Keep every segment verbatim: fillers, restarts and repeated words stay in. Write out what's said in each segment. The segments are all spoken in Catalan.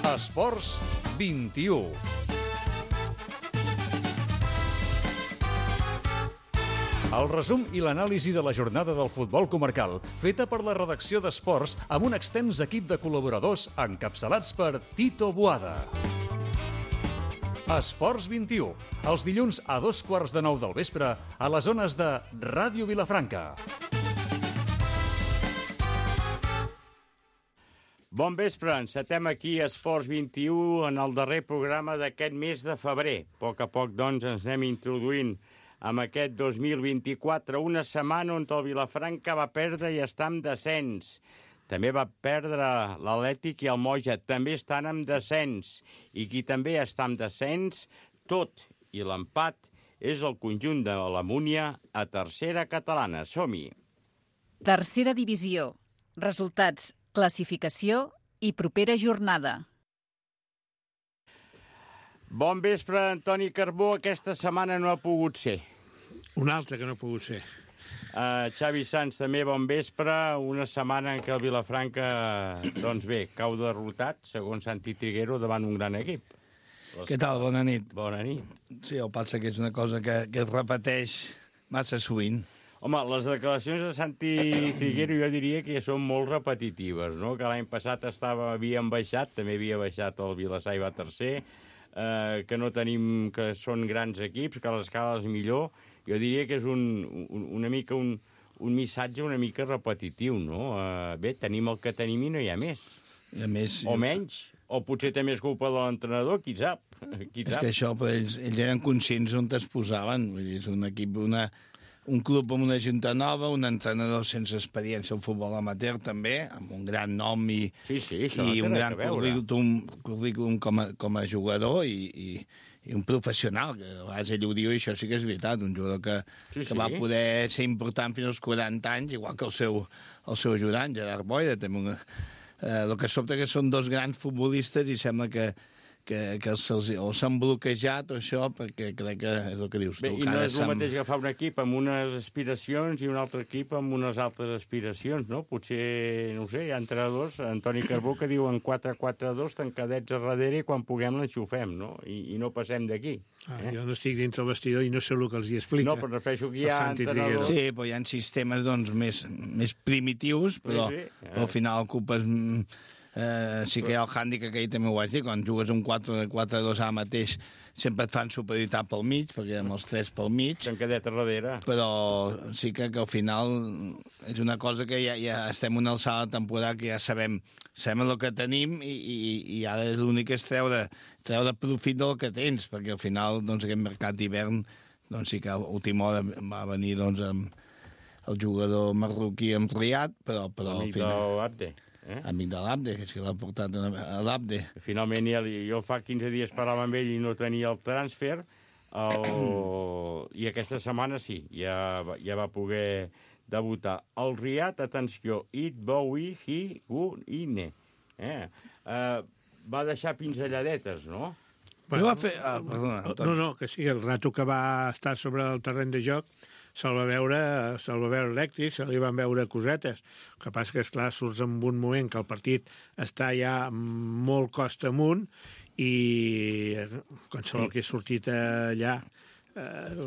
Esports vint-i-u. El resum i l'anàlisi de la jornada del futbol comarcal, feta per la redacció d'Esports amb un extens equip de col·laboradors encapçalats per Tito Boada. Esports vint-i-u, els dilluns a dos quarts de nou del vespre a les zones de Ràdio Vilafranca. Bon vespre, encetem aquí Esports vint-i-u en el darrer programa d'aquest mes de febrer. A poc a poc, doncs, ens anem introduint amb aquest dos mil vint-i-quatre, una setmana on el Vilafranca va perdre i està en descens. També va perdre l'Atlètic i el Moja, també estan en descens. I qui també està en descens, tot i l'empat, és el conjunt de la Múnia a tercera catalana. Som-hi. Tercera divisió. Resultats, classificació i propera jornada. Bon vespre, Antoni Carbó. Aquesta setmana no ha pogut ser. Un altre que no ha pogut ser. Uh, Xavi Sans, també bon vespre. Una setmana en què el Vilafranca, doncs bé, cau derrotat, segons Santi Triguero, davant un gran equip. Les... Què tal? Bona nit. Bona nit. Sí, el passa que és una cosa que, que es repeteix massa sovint. Home, les declaracions de Santi Triguero jo diria que són molt repetitives, no? Que l'any passat estava, havien baixat, també havia baixat el Vilassar i va tercer, eh, que no tenim, que són grans equips, que l'escala és millor. Jo diria que és un, un, una mica un, un missatge una mica repetitiu, no? Eh, bé, tenim el que tenim i no hi ha més. I a més o menys, o potser té més culpa de l'entrenador, qui sap? Qui és sap? que això, però ells, ells eren conscients on es posaven. Vull dir, és un equip, una... un club amb una junta nova, un entrenador sense experiència al futbol amateur també, amb un gran nom i, sí, sí, això i no un gran currículum, currículum com, a, com a jugador i, i, i un professional, que a vegades ell ho diu i això sí que és veritat, un jugador que, sí, sí. que va poder ser important fins als quaranta anys, igual que el seu, el seu ajudant, Gerard Boira. També una, eh, el que sobta que són dos grans futbolistes i sembla que que, que se'ls, o s'han bloquejat o això, perquè crec que és el que dius tu. Bé, i no és el mateix agafar un equip amb unes aspiracions i un altre equip amb unes altres aspiracions, no? Potser, no ho sé, hi ha entrenadors, Antoni Carbó, que diuen quatre quatre dos, tancadets a darrere i quan puguem l'enxufem, no? I, i no passem d'aquí. Ah, eh? Jo no estic dintre el vestidor i no sé el que els hi explica. No, però refereixo que hi ha entrenadors... Sí, però hi ha sistemes doncs, més, més primitius, però, sí, sí. però al final ocupes... Uh, sí que hi ha el hàndicap, que ahir també ho vaig dir, quan jugues un quatre quatre dos ara mateix sempre et fan superioritat pel mig, perquè amb els tres pel mig. Tancadet a darrere. Però sí que, que al final és una cosa que ja, ja estem una alçada de temporada que ja sabem, sabem el que tenim i, i, i ara l'únic és treure, treure profit del que tens, perquè al final doncs, aquest mercat d'hivern doncs, sí que a última hora va venir doncs, amb el jugador marroquí amb Riad, però, però al final... Abde. Eh? Amic de l'Abde, que si l'ha portat a l'Abde. Finalment, ja, jo fa quinze dies parlava amb ell i no tenia el transfer, el... i aquesta setmana sí, ja, ja va poder debutar. El Riad, atenció, It Bowie, Hi, Gu, Ine. Eh? Uh, va deixar pinzelladetes, no? Bueno, va fer... Ah, perdona, no, no, que sí, el rato que va estar sobre el terreny de joc se'l va veure, se'l va veure elèctric, se li van veure cosetes. El que passa que, esclar, surts en un moment que el partit està ja molt costa amunt i qualsevol que he sortit allà eh,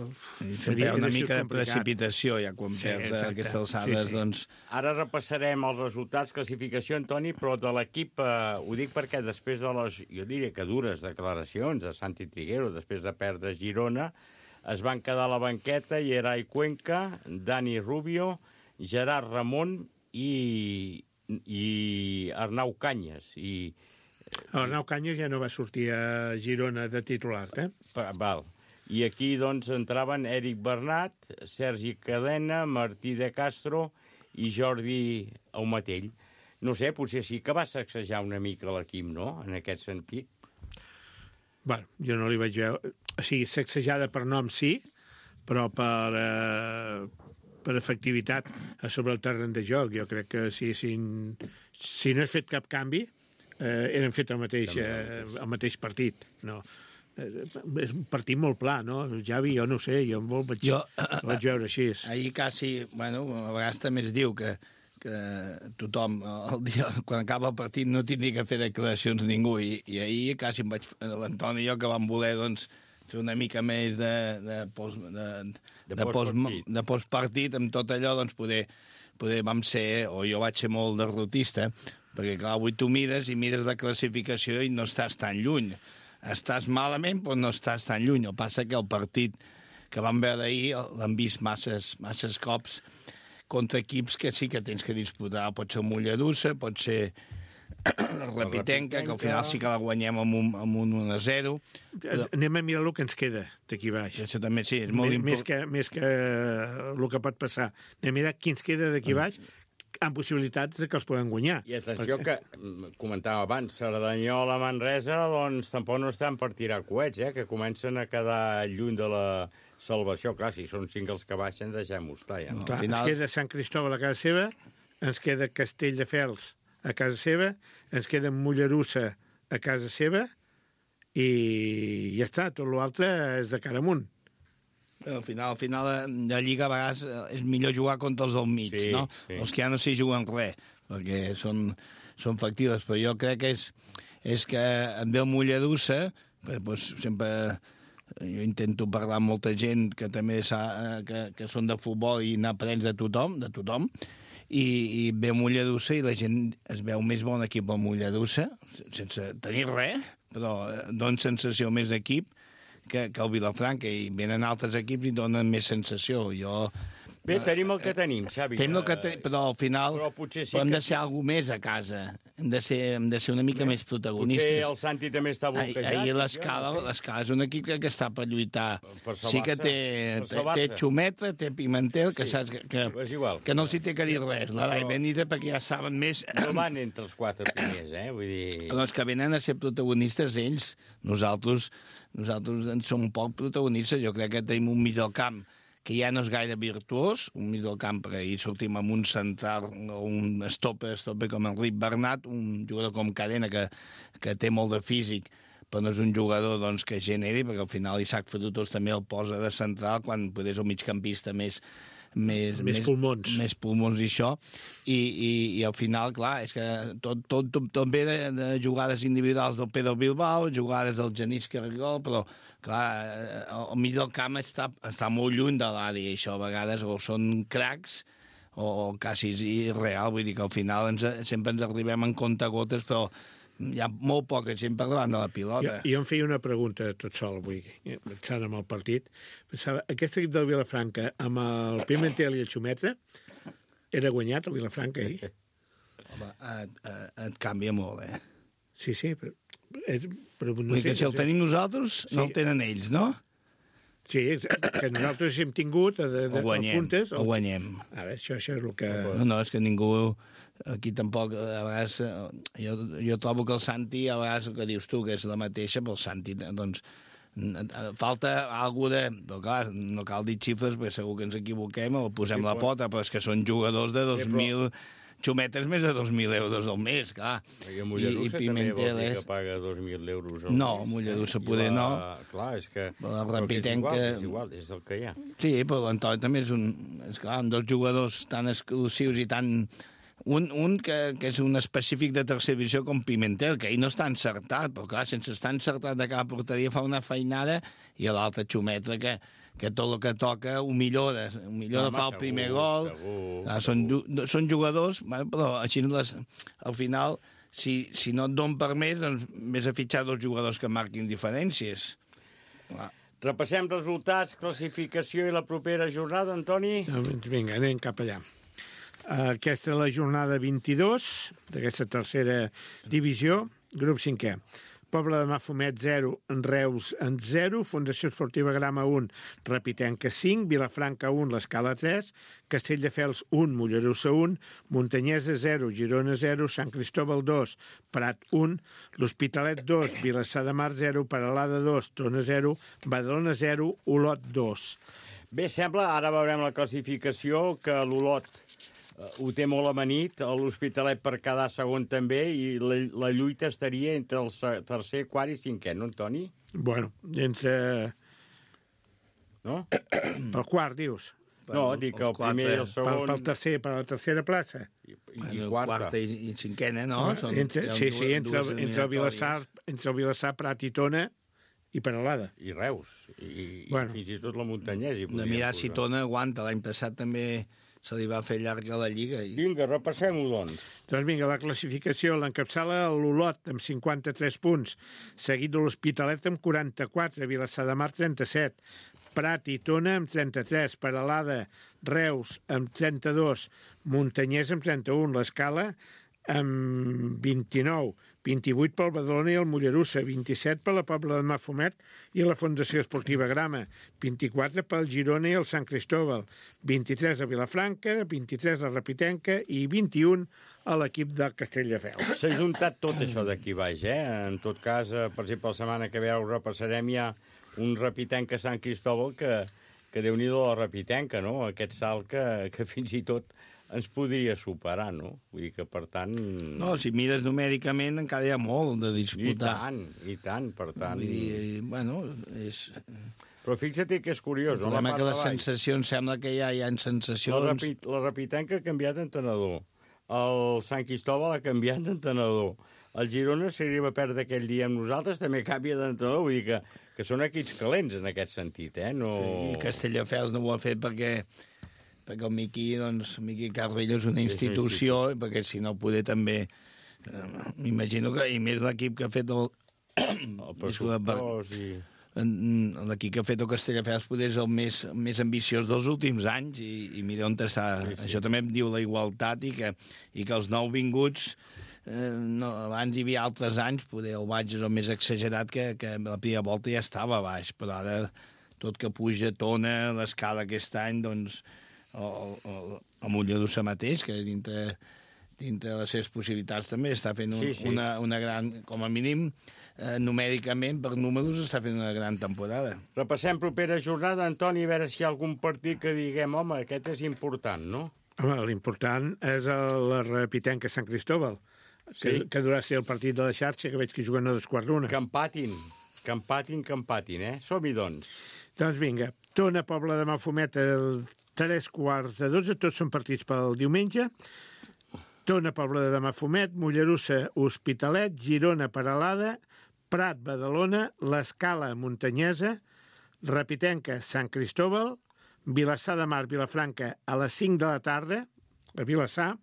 seria una mica de precipitació ja quan sí, perds exacte. Aquestes alçades. Sí, sí. Doncs... Ara repassarem els resultats, classificació, Antoni, però de l'equip, eh, ho dic perquè després de les, jo diria que dures declaracions de Santi Triguero, després de perdre Girona, es van quedar a la banqueta Yeray Cuenca, Dani Rubio, Gerard Ramon i, i Arnau Canyes. I, Arnau Canyes ja no va sortir a Girona de titular, eh? Val. I aquí, doncs, entraven Eric Bernat, Sergi Cadena, Martí de Castro i Jordi Aumatell. No sé, potser sí que va sacsejar una mica l'equip, no?, en aquest sentit. Bueno, jo no li vaig veure... O sigui, sacsejada per nom sí, però per, eh, per efectivitat sobre el terreny de joc. Jo crec que si, si, si no has fet cap canvi, eh, eren fet el mateix, eh, el mateix partit. No. Eh, és un partit molt pla, no? Javi, jo no sé, jo molt vaig, jo, vaig veure així. Ahir quasi, bueno, a vegades també es diu que que tothom, el dia, quan acaba el partit, no tindria que fer declaracions ningú, i, i ahir quasi em vaig, l'Antoni i jo, que vam voler, doncs, fer una mica més de, de, post, de, De de, post, postpartit. de postpartit, amb tot allò, doncs, poder, poder vam ser, o jo vaig ser molt derrotista, perquè, clar, avui tu mires i mires la classificació i no estàs tan lluny. Estàs malament, però no estàs tan lluny. El passa que el partit que vam veure ahir l'han vist masses, masses cops contra equips que sí que tens que disputar. Pot ser el Mollerussa, pot ser la Repitenca, que al final sí que la guanyem amb un, amb un un a zero. Però... Anem a mirar el que ens queda d'aquí baix. Això també sí, és molt Més, important. més, que, més que el que pot passar. Anem a mirar qui ens queda d'aquí baix amb possibilitats de que els podem guanyar. I atenció que, comentava abans, Cerdanyola, Manresa, doncs tampoc no estan per tirar coets, eh? Que comencen a quedar lluny de la salvació. Clar, si són cinc els que baixen, deixem-ho estar, ja, no? Clar, final- Ens queda Sant Cristòbal a casa seva, ens queda Castelldefels a casa seva, ens queda Mollerussa a casa seva i ja està, tot l'altre és de cara amunt. Al final, al final de Lliga a vegades és millor jugar contra els del mig, Sí, no? sí. Els que ja no s'hi juguen res, perquè són, són factibles, però jo crec que és, és que et ve el Mollerussa, perquè doncs, sempre jo intento parlar amb molta gent que també sa, que, que són de futbol i anar prens de tothom, de tothom, i, i ve Mollerussa i la gent es veu més bon equip al Mollerussa, sense tenir res, però dona sensació més d'equip que, que el Vilafranca, i venen altres equips i donen més sensació. Jo... Bé, tenim el que tenim, Xavi. Tenim el que te... Però al final Però potser sí però hem que- de ser alguna més a casa. Hem de ser, hem de ser una mica més protagonistes. Potser el Santi també està Ahir, bloquejat. ahir l'Escala, l'Escala és un equip que, que està per lluitar. Per Sí que salvar-se, té, per té, salvar-se. té Xumetra, té Pimentel, que Sí, saps que, que, és igual. que no s'hi té que dir res. La Dai Però- Benita, perquè ja saben més... No van entre els quatre primers, eh? Vull dir... Però els que venen a ser protagonistes ells. Nosaltres, nosaltres en som poc protagonistes. Jo crec que tenim un mig del camp que ja no és gaire virtuós, un mig del camp, perquè ahir sortim amb un central o un stopper, stopper com Enric Bernat, un jugador com Cadena que, que té molt de físic, però no és un jugador doncs, que generi, perquè al final Isaac Frutos també el posa de central quan podés el migcampista més, més, Més pulmons. més pulmons i això, i, i, i al final, clar, és que tot, tot, tot, tot ve de, de jugades individuals del Pedro Bilbao, jugades del Genís Carregol, però, clar, al mig del camp està, està molt lluny de l'àrea, i això a vegades o són cracs o, o quasi irreal, vull dir que al final ens, sempre ens arribem en comptagotes, però hi ha molt poca gent per davant de la Jo, pilota. jo em feia una pregunta tot sol avui, pensant en el partit. Pensava, aquest equip del Vilafranca, amb el Pimentel i el Xumetra, era guanyat el Vilafranca ahir? Home, et, et, et canvia molt, eh? Sí, sí, però... És, però no Vull dir que si el tenim nosaltres, no Sí. el tenen ells, no? Sí, que nosaltres hem tingut de, de, Ho guanyem, puntes. ho guanyem. A veure, això, això és el que... No, no, és que ningú... Aquí tampoc, a vegades... eh, Jo, jo trobo que el Santi, a vegades el que dius tu, que és la mateixa, però el Santi, doncs, falta alguna de... Però clar, no cal dir xifres, perquè segur que ens equivoquem o posem Sí, la però- pota, però és que són jugadors de dos mil... Xumetes més de dos mil euros al mes, clar. Perquè Mollerussa també vol dir que paga dos mil euros al No, mes. Mollerussa I poder la- no. Clar, és que... Però la però que és igual, Repitenca- és igual, és el que hi ha. Sí, però l'Antoni també és un... És clar, amb dos jugadors tan exclusius i tan... Un, un que, que és un específic de tercera divisió com Pimentel, que ell no està encertat, però clar, sense estar encertat de cada porteria fa una feinada, i l'altre Xumetra que, que tot el que toca ho millora, ho millora, Home, fa el segur, primer gol. segur, Ah, són, ju- són jugadors, bueno, però així les, al final, si, si no et don per més, doncs vés a fitxar dos jugadors que marquin diferències. Clar. Repassem resultats, classificació i la propera jornada, Antoni. Doncs vinga, anem cap allà. Aquesta és la jornada vint-i-dos d'aquesta tercera divisió, grup cinquè. Pobla de Mafumet zero, Reus en zero, Fundació Esportiva Grama un, Repitenca cinc, Vilafranca un, l'Escala tres, Castelldefels un, Mollerussa un, Muntanyesa zero, Girona zero, Sant Cristòbal dos, Prat un, l'Hospitalet dos, Vilassar de Mar zero, Peralada dos, Tona zero, Badalona zero, Olot dos. Bé, sembla, ara veurem la classificació, que l'Olot eh, ho té molt amanit, l'Hospitalet per quedar segon també, i la, la lluita estaria entre el se- tercer, quart i cinquè, no, Antoni? Bueno, entre... No? pel quart, dius? per No, dic que el els quatre- primer i el Pel, segon... pel tercer, per la tercera plaça. I, Bueno, i quarta. quarta i, i cinquena, no? Són, entre, hi ha sí, dues- sí, entre, dues el- entre, el Vilassar, eliminatòries. entre el Vilassar, Prat i Tona i Peralada. I Reus. I, Bueno. i fins i tot la Muntanyès. De mirar si Tona aguanta. L'any passat també se li va fer llarga la Lliga. I... Vinga, repassem-ho, doncs. Doncs vinga, la classificació l'encapçala l'Olot amb cinquanta-tres punts, seguit de l'Hospitalet amb quaranta-quatre, Vilassar de Mar trenta-set, Prat i Tona amb trenta-tres, Peralada, Reus amb trenta-dos, Muntanyès amb trenta-un, l'Escala amb vint-i-nou, vint-i-vuit pel Badalona i el Mollerussa, vint-i-set per la Pobla de Mafumet i la Fundació Esportiva Grama, vint-i-quatre pel Girona i el Sant Cristóbal, vint-i-tres a Vilafranca, vint-i-tres a Rapitenca i vint-i-un a l'equip de Castelldefels. S'ha juntat tot això d'aquí baix, eh? En tot cas, eh, per exemple, la setmana que ve ho repassarem ja un Rapitenca Sant Cristóbal que, que Déu-n'hi-do la Rapitenca, no? Aquest salt que, que fins i tot ens podria superar, no? Vull dir que, per tant... No, si mires numèricament encara hi ha molt de I disputar. tant, i tant, per tant... Vull dir, bueno, és... Però fixa't que és curiós, El no? problema La que part les de baix. sensacions, sembla que ja hi ha La, sensacions... Rapi, la Rapitenca ha canviat d'entrenador. El Sant Cristóbal ha canviat d'entrenador. El Girona, si arriba a perdre aquell dia amb nosaltres, també canvia d'entrenador. Vull dir que, que són equips calents en aquest sentit, eh? No... I Castelldefels no ho ha fet perquè perquè el Miqui, doncs, Miqui Carrillo és una institució, sí, sí. perquè si no poder també... Eh, M'imagino que, i més l'equip que ha fet el... El pressupost i... L'equip que ha fet el Castelldefels poder és el més, més ambiciós dels últims anys i, i mira on està. Sí, sí. Això també em diu la igualtat i que, i que els nouvinguts eh, no, abans hi havia altres anys, poder el baix és el més exagerat que, que la primera volta ja estava a baix, però ara tot que puja tona l'escala aquest any, doncs el, el, el Mollerussa mateix, que dintre, dintre de les seves possibilitats també està fent un, Sí, sí. Una, una gran, com a mínim, eh, numèricament, per números, està fent una gran temporada. Repassem propera jornada, Antoni, a veure si hi ha algun partit que diguem, home, aquest és important, no? Home, l'important és el Rapitenca Sant Cristóbal, que, Sí. que durà ser el partit de la xarxa, que veig que juguen a dos quarts d'una. Que empatin, que empatin, que empatin, eh? Som-hi, doncs. Doncs vinga, Tona, Pobla de Mafumet, el tres quarts de dotze, tots són partits pel diumenge. Tona, Pobla de Mafumet, Mollerussa, Hospitalet, Girona, Peralada, Prat, Badalona, l'Escala, Muntanyesa, Rapitenca, Sant Cristóbal, Vilassar de Mar, Vilafranca, a les cinc de la tarda, a Vilassar,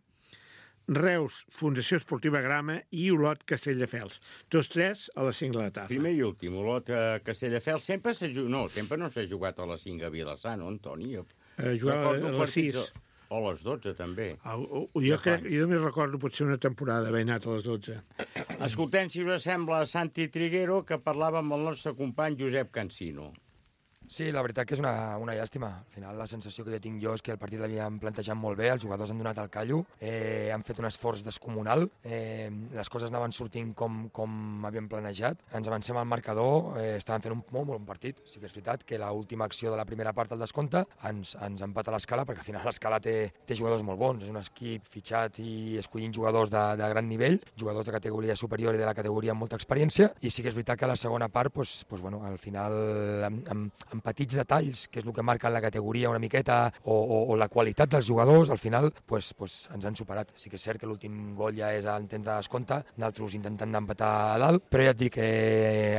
Reus, Fundació Esportiva Grama i Olot, Castelldefels. Tots tres a les cinc de la tarda. Primer i últim, Olot, eh, Castelldefels, sempre s'ha jugat... No, sempre no s'ha jugat a les cinc a Vilassar, no, Antoni? Eh, jugava Recordo a les partits sis. O a les dotze, també. Ah, oh, oh, jo, crec, jo només recordo potser una temporada haver anat a les dotze. Escoltem, si us sembla, Santi Triguero, que parlava amb el nostre company Josep Cansino. Sí, la veritat que és una, una llàstima. Al final la sensació que jo tinc jo és que el partit l'havíem plantejat molt bé, els jugadors han donat el callo, eh, han fet un esforç descomunal, eh, les coses anaven sortint com, com havíem planejat, ens avancem al marcador, eh, estaven fent un molt, molt bon partit. Sí que és veritat que l'última acció de la primera part del descompte ens, ens empata l'Escala, perquè al final l'Escala té, té jugadors molt bons, és un equip fitxat i escollint jugadors de, de gran nivell, jugadors de categoria superior i de la categoria amb molta experiència, i sí que és veritat que a la segona part, pues, pues, bueno, al final, amb, amb, amb petits detalls, que és el que marca la categoria una miqueta, o, o, o la qualitat dels jugadors, al final pues, pues, ens han superat. Sí que és cert que l'últim gol ja és en temps de descompte, d'altres intentant d'empatar a dalt, però ja et dic que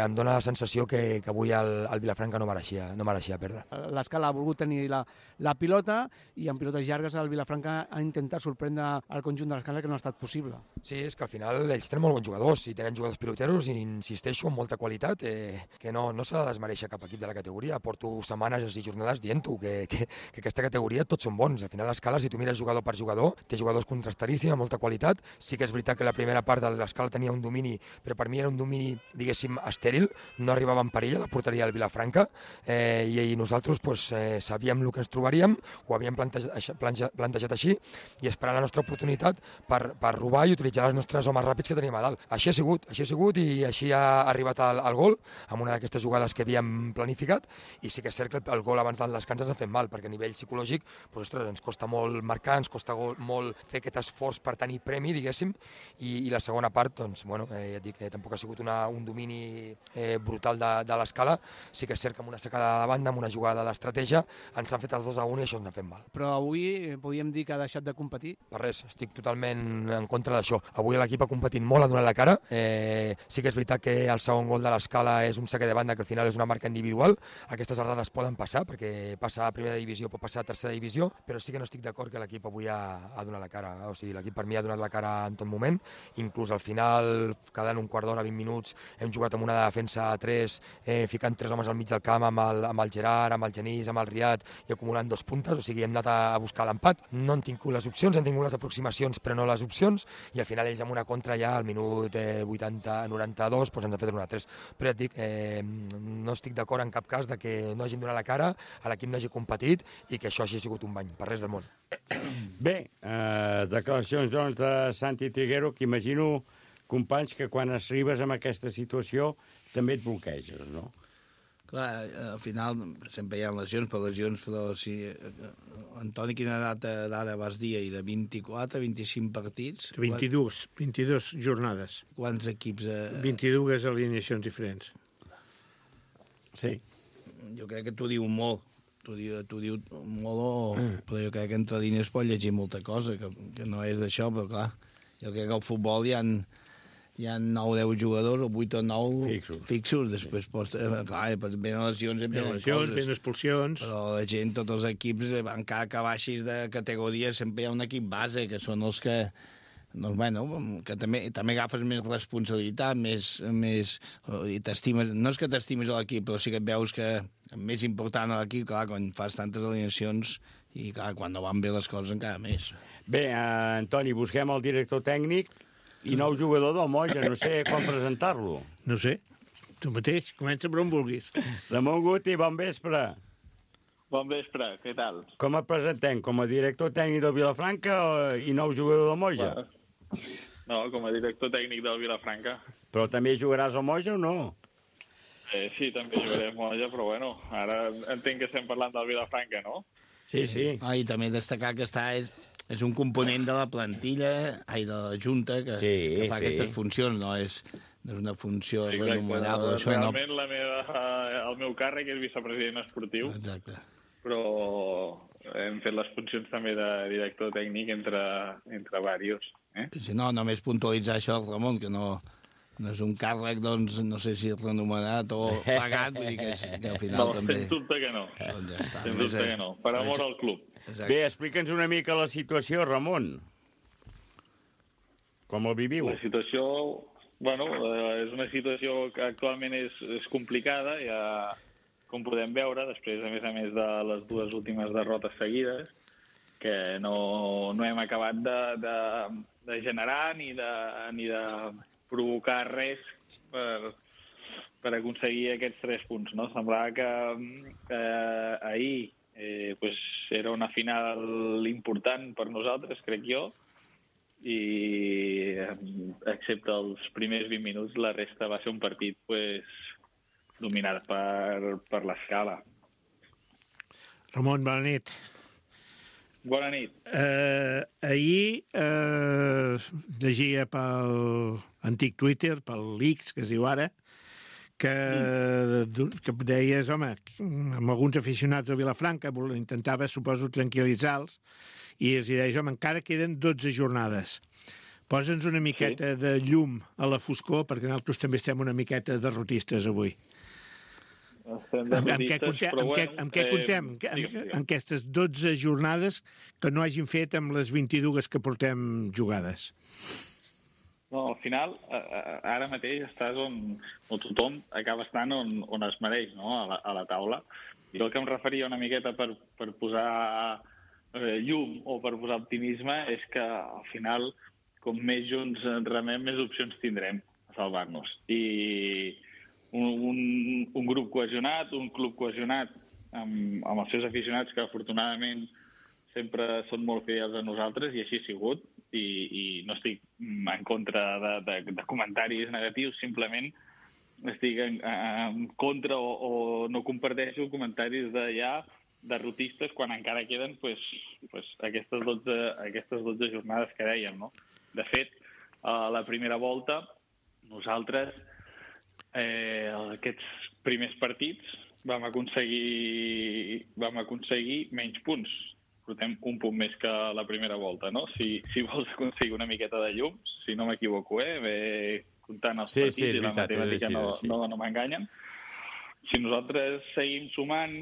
em dóna la sensació que, que avui el, el Vilafranca no mereixia, no mereixia perdre. L'Escala ha volgut tenir la, la pilota i en pilotes llargues el Vilafranca ha intentat sorprendre el conjunt de l'Escala, que no ha estat possible. Sí, és que al final ells tenen molt bons jugadors, i tenen jugadors piloteros, i insisteixo, amb molta qualitat, eh, que no, no s'ha de desmereixer cap equip de la categoria. Porto setmanes i jornades dient-ho, que, que, que aquesta categoria tots són bons. Al final l'Escala, si tu mires jugador per jugador, té jugadors contrastaríssims, amb molta qualitat. Sí que és veritat que la primera part de l'Escala tenia un domini, però per mi era un domini, diguéssim, estèril, no arribava en perill a la porteria del Vilafranca, eh, i, i nosaltres pues, eh, sabíem el que ens trobaríem, ho havíem plantejat, plantejat, plantejat així, i esperant la nostra oportunitat per, per robar i utilitzar els nostres homes ràpids que teníem a dalt. Així ha sigut, així ha sigut, i així ha arribat al, al gol, amb una d'aquestes jugades que havíem planificat, i sí que és cert que el gol abans del descans ens ha fet mal, perquè a nivell psicològic doncs, ostres, ens costa molt marcar, ens costa molt fer aquest esforç per tenir premi, diguéssim, i, i la segona part, doncs, bueno, eh, ja et dic, eh, tampoc ha sigut una, un domini eh, brutal de, de l'escala, sí que és cert que amb una secada de banda, amb una jugada d'estratègia, ens han fet els dos a un i això ens ha fet mal. Però avui podríem dir que ha deixat de competir? Per res, estic totalment en contra d'això. Avui l'equip ha competit molt, ha donat la cara. Eh, sí que és veritat que el segon gol de l'escala és un saque de banda que al final és una marca individual. Aquestes errades poden passar, perquè passar a primera divisió pot passar a tercera divisió, però sí que no estic d'acord que l'equip avui ha, ha donat la cara. O sigui, l'equip per mi ha donat la cara en tot moment. Inclús al final, quedant un quart d'hora, vint minuts, hem jugat amb una defensa a tres, eh, ficant tres homes al mig del camp amb el, amb el Gerard, amb el Genís, amb el Riad i acumulant dos puntes. O sigui, hem anat a, a buscar l'empat. No han tingut les opcions, han tingut les aproximacions, però no les opcions, i al final ells amb una contra ja al minut eh, vuitanta noranta-dos doncs ens han fet un a tres. Però ja et dic, eh, no estic d'acord en cap cas de que no hagin donat la cara, a l'equip no hagi competit i que això hagi sigut un bany, per res del món. Bé, eh, declaracions doncs, de Santi Triguero, que imagino, companys, que quan arribes a aquesta situació també et bloqueges, no? Clar, al final sempre hi ha lesions per lesions, però si... Antoni, quina data d'ara vas dir? I de vint-i-quatre, vint-i-cinc partits? vint-i-dos, vint-i-dos jornades. Quants equips? Eh... vint-i-dues alineacions diferents. Sí. Jo crec que t'ho diu molt. T'ho diu, t'ho diu molt, o... però jo crec que entre línies pot llegir molta cosa, que, que no és d'això, però clar, jo crec que al futbol hi ha... hi ha nou o deu jugadors, o vuit o nou fixos. fixos. Després pots... Eh, clar, venen lesions, venen lesions, venen expulsions. Però la gent, tots els equips, encara que baixis de categoria, sempre hi ha un equip base, que són els que... Doncs, bueno, que també, també agafes més responsabilitat, més... més i t'estimes... No és que t'estimis a l'equip, però sí que et veus que és més important a l'equip, clar, quan fas tantes alineacions, i clar, quan no van bé les coses encara més. Bé, eh, Antoni, busquem el director tècnic i nou jugador del Moja, no sé com presentar-lo. No sé, tu mateix, comença per on vulguis. Ramon Guti, bon vespre. Bon vespre, què tal? Com et presentem? Com a director tècnic del Vilafranca i nou jugador del Moja? No, com a director tècnic del Vilafranca. Però també jugaràs al Moja o no? Eh, sí, també jugaré al Moja, però bueno, ara entenc que estem parlant del Vilafranca, no? Sí, sí. Ah, i també destacar que està... És... És un component de la plantilla, ai, de la Junta, que, sí, que fa sí. aquestes funcions, no és, no és una funció Exacte, remunerable. no, Això realment no... la meva, el meu càrrec és vicepresident esportiu. Exacte. Però hem fet les funcions també de director tècnic entre, entre diversos. Eh? Si no, només puntualitzar això, Ramon, que no, no és un càrrec, doncs, no sé si renomenat o pagat, vull dir que, és, que al final no, també... Sens dubte que no. Doncs ja està. Sens dubte que no. Per amor al club. Exacte. Bé, explica'ns una mica la situació, Ramon. Com el viviu? La situació, bueno, és una situació que actualment és, és complicada, ja, com podem veure, després, a més a més de les dues últimes derrotes seguides, que no, no hem acabat de, de, de generar ni de, ni de provocar res per, per aconseguir aquests tres punts. No? Semblava que eh, ahir Eh, pues era una final important per nosaltres, crec jo, i excepte els primers vint minuts, la resta va ser un partit pues, dominat per, per l'escala. Ramon, bona nit. Bona nit. Eh, ahir eh, llegia pel antic Twitter, pel X, que es diu ara, que, que deies, home, amb alguns aficionats de Vilafranca intentava, suposo, tranquil·litzar-los, i els deies, home, encara queden dotze jornades. Posa'ns una miqueta sí. de llum a la foscor, perquè nosaltres també estem una miqueta derrotistes avui. Estem amb, amb què contem, però amb, bueno, què, amb què contem? Eh, amb, amb, amb aquestes dotze jornades que no hagin fet amb les vint-i-dues que portem jugades. No, al final, ara mateix estàs on, on tothom acaba estant on, on es mereix, no? a, la, a la taula. I el que em referia una miqueta per, per posar eh, llum o per posar optimisme és que al final, com més junts remem, més opcions tindrem a salvar-nos. I un, un, un grup cohesionat, un club cohesionat amb, amb els seus aficionats que afortunadament sempre són molt fidels a nosaltres, i així ha sigut. I, i no estic en contra de, de, de comentaris negatius, simplement estic en, en contra o, o no comparteixo comentaris de ja derrotistes quan encara queden pues, pues, aquestes, dotze, aquestes dotze jornades que dèiem, no? De fet, a la primera volta, nosaltres, eh, aquests primers partits, vam aconseguir, vam aconseguir menys punts. Portem un punt més que la primera volta, no? Si, si vols aconseguir una miqueta de llum, si no m'equivoco, eh? Ve comptant els sí, partits sí, i la veritat, matemàtica sí, no, sí. no, no m'enganyen. Si nosaltres seguim sumant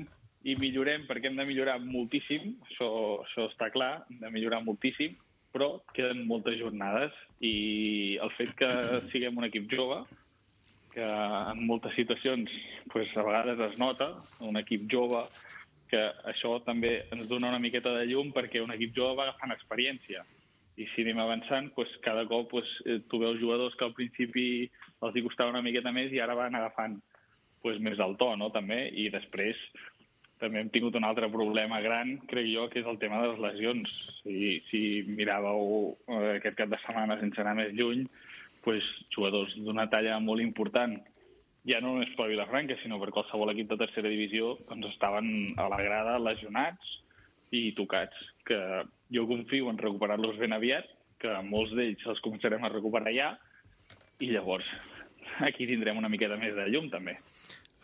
i millorem, perquè hem de millorar moltíssim, això, això està clar, hem de millorar moltíssim, però queden moltes jornades i el fet que siguem un equip jove, que en moltes situacions pues, a vegades es nota, un equip jove, que això també ens dona una miqueta de llum perquè un equip jove va agafant experiència. I si anem avançant, pues, cada cop pues, tu veus jugadors que al principi els hi costava una miqueta més i ara van agafant pues, més el to, no? També, i després també hem tingut un altre problema gran, crec jo, que és el tema de les lesions. Si, si miràveu eh, aquest cap de setmana sense anar més lluny, pues, jugadors d'una talla molt important, ja no només per Vilafranca, sinó per qualsevol equip de tercera divisió, doncs estaven a la grada lesionats i tocats, que jo confio en recuperar-los ben aviat, que molts d'ells els començarem a recuperar ja, i llavors aquí tindrem una miqueta més de llum, també.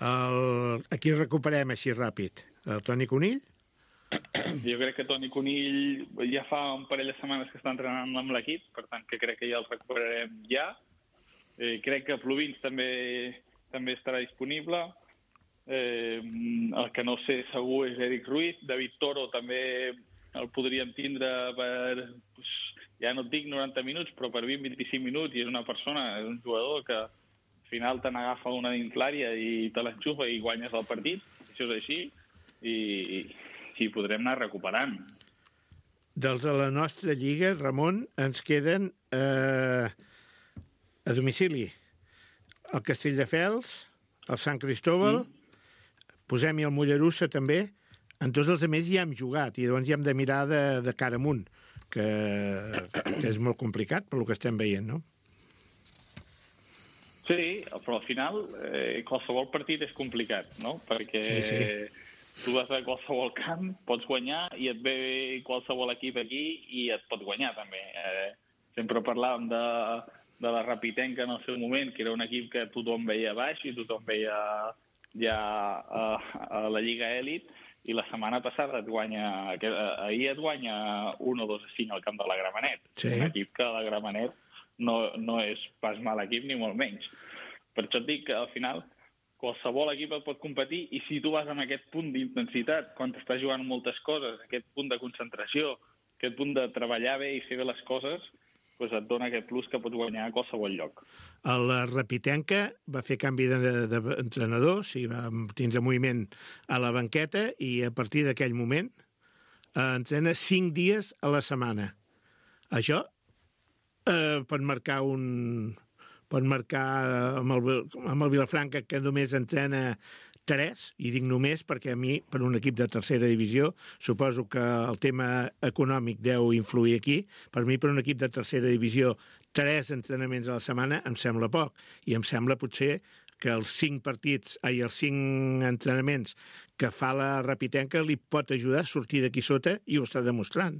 El... Aquí recuperem així ràpid. El Toni Conill? Jo crec que Toni Conill ja fa un parell de setmanes que està entrenant amb l'equip, per tant que crec que ja el recuperarem ja. Eh, crec que Plovins també, també estarà disponible. Eh, el que no sé segur és Eric Ruiz. David Toro també el podríem tindre per, ja no et dic noranta minuts, però per vint a vint-i-cinc minuts, i és una persona, és un jugador que al final te n'agafa una dins l'àrea i te l'enxufa i guanyes el partit. Això és així. I, i podrem anar recuperant. Dels de la nostra lliga, Ramon, ens queden eh, a domicili el Castelldefels, el Sant Cristóbal, mm. posem-hi el Mollerussa també. En tots els altres ja hem jugat i llavors ja hem de mirar de, de cara amunt, que, que és molt complicat per el que estem veient, no? Sí, però al final eh, qualsevol partit és complicat, no? Perquè sí, sí. Tu vas a qualsevol camp, pots guanyar i et ve qualsevol equip aquí i et pot guanyar també. Eh, sempre parlàvem de, de la Rapitenca en el seu moment, que era un equip que tothom veia baix i tothom veia ja a, a la Lliga Elit, i la setmana passada et guanya, que, ahir et guanya un o dos a cinc al camp de la Gramenet. Sí. Un equip que la Gramenet no, no és pas mal equip ni molt menys. Per això et dic que al final qualsevol equip et pot competir, i si tu vas amb aquest punt d'intensitat, quan t'estàs jugant moltes coses, aquest punt de concentració, aquest punt de treballar bé i fer bé les coses, doncs et dona aquest plus que pots guanyar a qualsevol lloc. El Rapitenca va fer canvi d'entrenador, sí, va tindre moviment a la banqueta, i a partir d'aquell moment eh, entrena cinc dies a la setmana. Això eh, pot marcar un... pot marcar amb el, amb el Vilafranca, que només entrena tres, i dic només perquè a mi, per un equip de tercera divisió, suposo que el tema econòmic deu influir aquí. Per mi, per un equip de tercera divisió, tres entrenaments a la setmana em sembla poc, i em sembla potser que els cinc partits, ai, els cinc entrenaments que fa la Rapitenca li pot ajudar a sortir d'aquí sota, i ho està demostrant.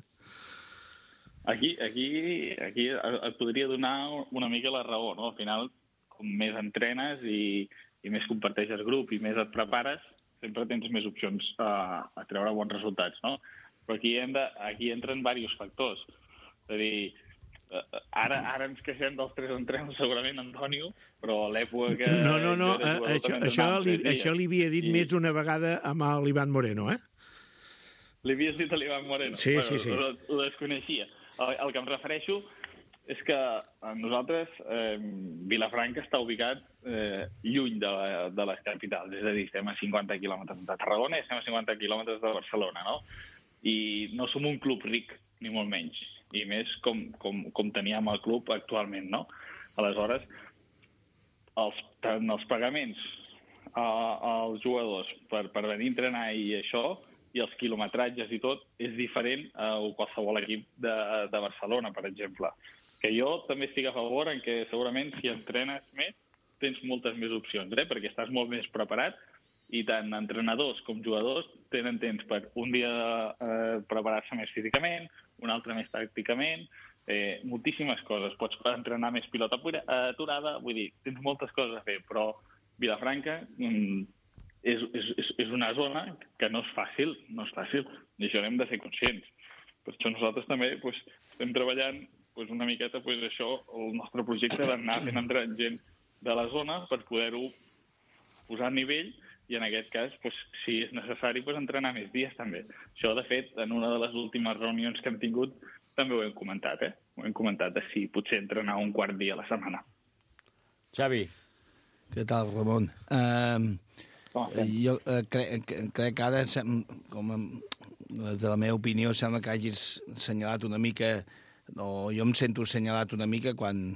Aquí, aquí, aquí et podria donar una mica la raó, no? Al final, com més entrenes i, i més comparteixes grup i més et prepares, sempre tens més opcions a, a treure bons resultats, no? Però aquí, hem de, aquí entren diversos factors. És a dir, ara, ara ens queixem dels tres entrenos, segurament, Antonio, però a l'època que... No, no, no, això, això, li, això li havia dit i... més d'una vegada amb l'Ivan Moreno, eh? Li havies dit a l'Ivan Moreno? Sí, bueno, sí, sí. Ho, ho desconeixia. El, el que em refereixo és que nosaltres, eh, Vilafranca està ubicat eh, lluny de, de les capitals, és a dir, estem a cinquanta quilòmetres de Tarragona i estem a cinquanta quilòmetres de Barcelona, no? I no som un club ric, ni molt menys, i més com, com, com teníem el club actualment, no? Aleshores, els, tant els pagaments a, als jugadors per, per venir a entrenar i això, i els quilometratges i tot, és diferent a qualsevol equip de, de Barcelona, per exemple. Que jo també estic a favor en què segurament si entrenes més, tens moltes més opcions, eh? Perquè estàs molt més preparat i tant entrenadors com jugadors tenen temps per un dia eh, preparar-se més físicament, un altre més tàcticament, eh, moltíssimes coses. Pots entrenar més pilota aturada, vull dir, tens moltes coses a fer, però Vilafranca mm, és, és, és una zona que no és fàcil, no és fàcil, i això hem de ser conscients. Per això nosaltres també pues, estem treballant pues, una miqueta pues, això, el nostre projecte d'anar fent entrar gent de la zona per poder-ho posar a nivell i en aquest cas, pues, si és necessari, pues, entrenar més dies també. Això, de fet, en una de les últimes reunions que hem tingut també ho hem comentat, eh? Ho hem comentat de si potser entrenar un quart dia a la setmana. Xavi. Què tal, Ramon? Uh, jo uh, crec, crec que ara, com des de la meva opinió, sembla que hagis assenyalat una mica, o jo em sento assenyalat una mica quan,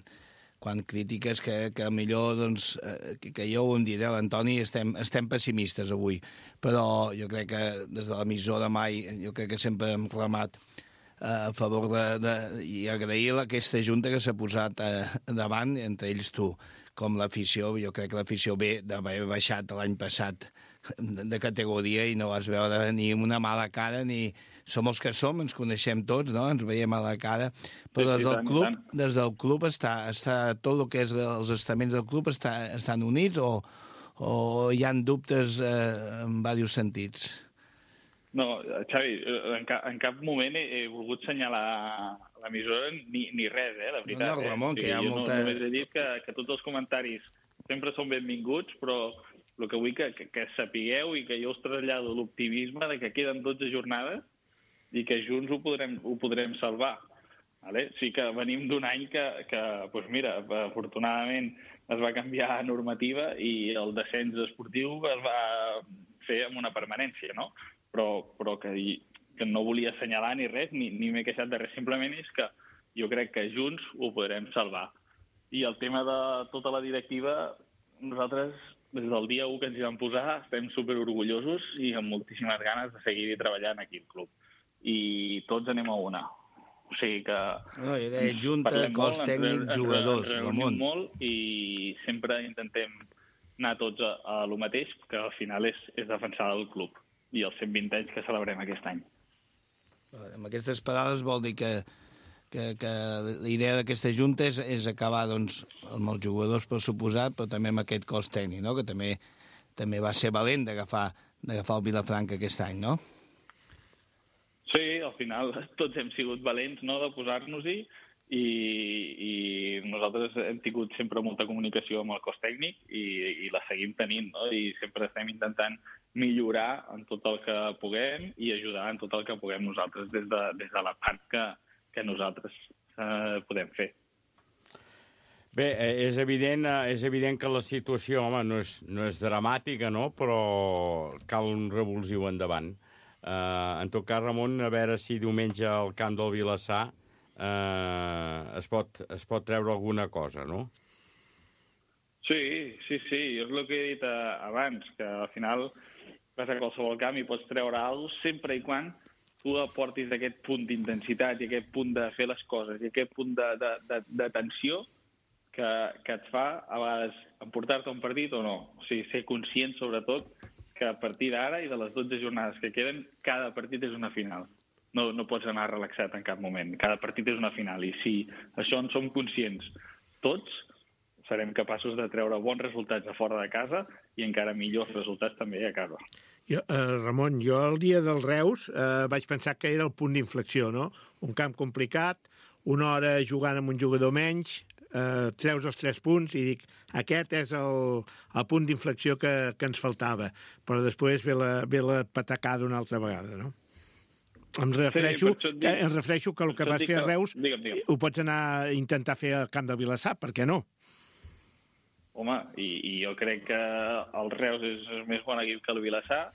quan critiques que, que millor, doncs, eh, que, que jo ho em diré, l'Antoni, estem, estem pessimistes avui, però jo crec que des de l'emissora mai, jo crec que sempre hem remat a favor de, de, i agrair aquesta junta que s'ha posat eh, davant, entre ells tu, com l'afició. Jo crec que l'afició ve d'haver baixat l'any passat de, de categoria i no vas veure ni una mala cara, ni som els que som, ens coneixem tots, no? Ens veiem a la cara, però des del club, des del club està, està tot el que és els estaments del club està, estan units o, o hi ha dubtes eh, en diversos sentits? No, Xavi, en cap, en cap moment he, he volgut assenyalar l'emissora ni, ni res, eh, la veritat. No, no, Ramon, eh? que hi ha jo molta... no, només he dit que, que tots els comentaris sempre són benvinguts, però el que vull que, que, que sapigueu i que jo us trasllado l'optimisme de que queden dotze jornades i que junts ho podrem, ho podrem salvar. Vale? Sí que venim d'un any que, que doncs mira, afortunadament es va canviar normativa i el descens esportiu es va fer amb una permanència, no? Però, però que, que no volia assenyalar ni res, ni, ni m'he queixat de res. Simplement és que jo crec que junts ho podrem salvar. I el tema de tota la directiva, nosaltres, des del dia u que ens hi vam posar, estem superorgullosos i amb moltíssimes ganes de seguir treballant aquí al club. I tots anem a una. O sigui que... No, jo deia junta, cos tècnic, jugadors, Ramon. Molt i sempre intentem anar tots a, a lo mateix, que al final és, és defensar el club i els cent vint anys que celebrem aquest any. Amb aquestes paraules vol dir que, que, que la idea d'aquesta junta és, és acabar doncs, amb els jugadors, per suposat, però també amb aquest cos tècnic, no? Que també, també va ser valent d'agafar d'agafar el Vilafranca aquest any, no? Sí, al final tots hem sigut valents, no?, de posar-nos-hi i, i nosaltres hem tingut sempre molta comunicació amb el cos tècnic i, i la seguim tenint, no? I sempre estem intentant millorar en tot el que puguem i ajudar en tot el que puguem nosaltres des de, des de la part que, que nosaltres eh, podem fer. Bé, és evident, és evident que la situació, home, no és, no és dramàtica, no?, però cal un revulsiu endavant. Uh, en tot cas, Ramon, a veure si diumenge al camp del Vilassar uh, es, pot, es pot treure alguna cosa, no? Sí, sí, sí. És el que he dit abans, que al final vas a qualsevol camp i pots treure alguna cosa sempre i quan tu aportis aquest punt d'intensitat i aquest punt de fer les coses i aquest punt de, de, de, de tensió que, que et fa a vegades emportar-te un partit o no. O sigui, ser conscient, sobretot, que a partir d'ara i de les dotze jornades que queden, cada partit és una final. No, no pots anar relaxat en cap moment. Cada partit és una final. I si això en som conscients tots, serem capaços de treure bons resultats a fora de casa i encara millors resultats també a casa. Jo, eh, Ramon, jo el dia del Reus eh, vaig pensar que era el punt d'inflexió, no? Un camp complicat, una hora jugant amb un jugador menys, eh, treus els tres punts i dic, aquest és el, el punt d'inflexió que, que ens faltava. Però després ve la, ve la patacada una altra vegada, no? Em refereixo, sí, dic, em refereixo que el que vas fer a Reus digue'm, digue'm. Ho pots anar a intentar fer al camp del Vilassar, per què no? Home, i, i jo crec que el Reus és més bon equip que el Vilassar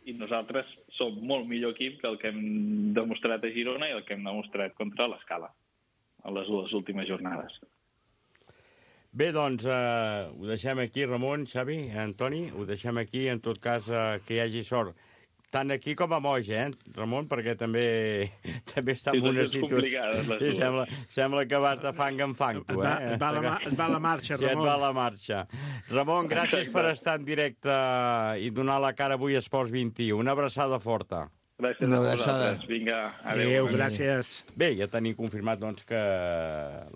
i nosaltres som molt millor equip que el que hem demostrat a Girona i el que hem demostrat contra l'Escala en les dues últimes jornades. Bé, doncs, eh, ho deixem aquí, Ramon, Xavi, Antoni, ho deixem aquí, en tot cas, eh, que hi hagi sort. tant aquí com a Moix, eh, Ramon, perquè també també està en una situació... Sí, sembla, sembla que vas de fang en fang, tu, eh? Et va, la, et va la marxa, Ramon. Ja et va la marxa. Ramon, gràcies per estar en directe i donar la cara avui a Esports vint i u. Una abraçada forta. Gràcies a vosaltres. Vinga, adéu. Adéu, gràcies. Bé, ja tenim confirmat doncs, que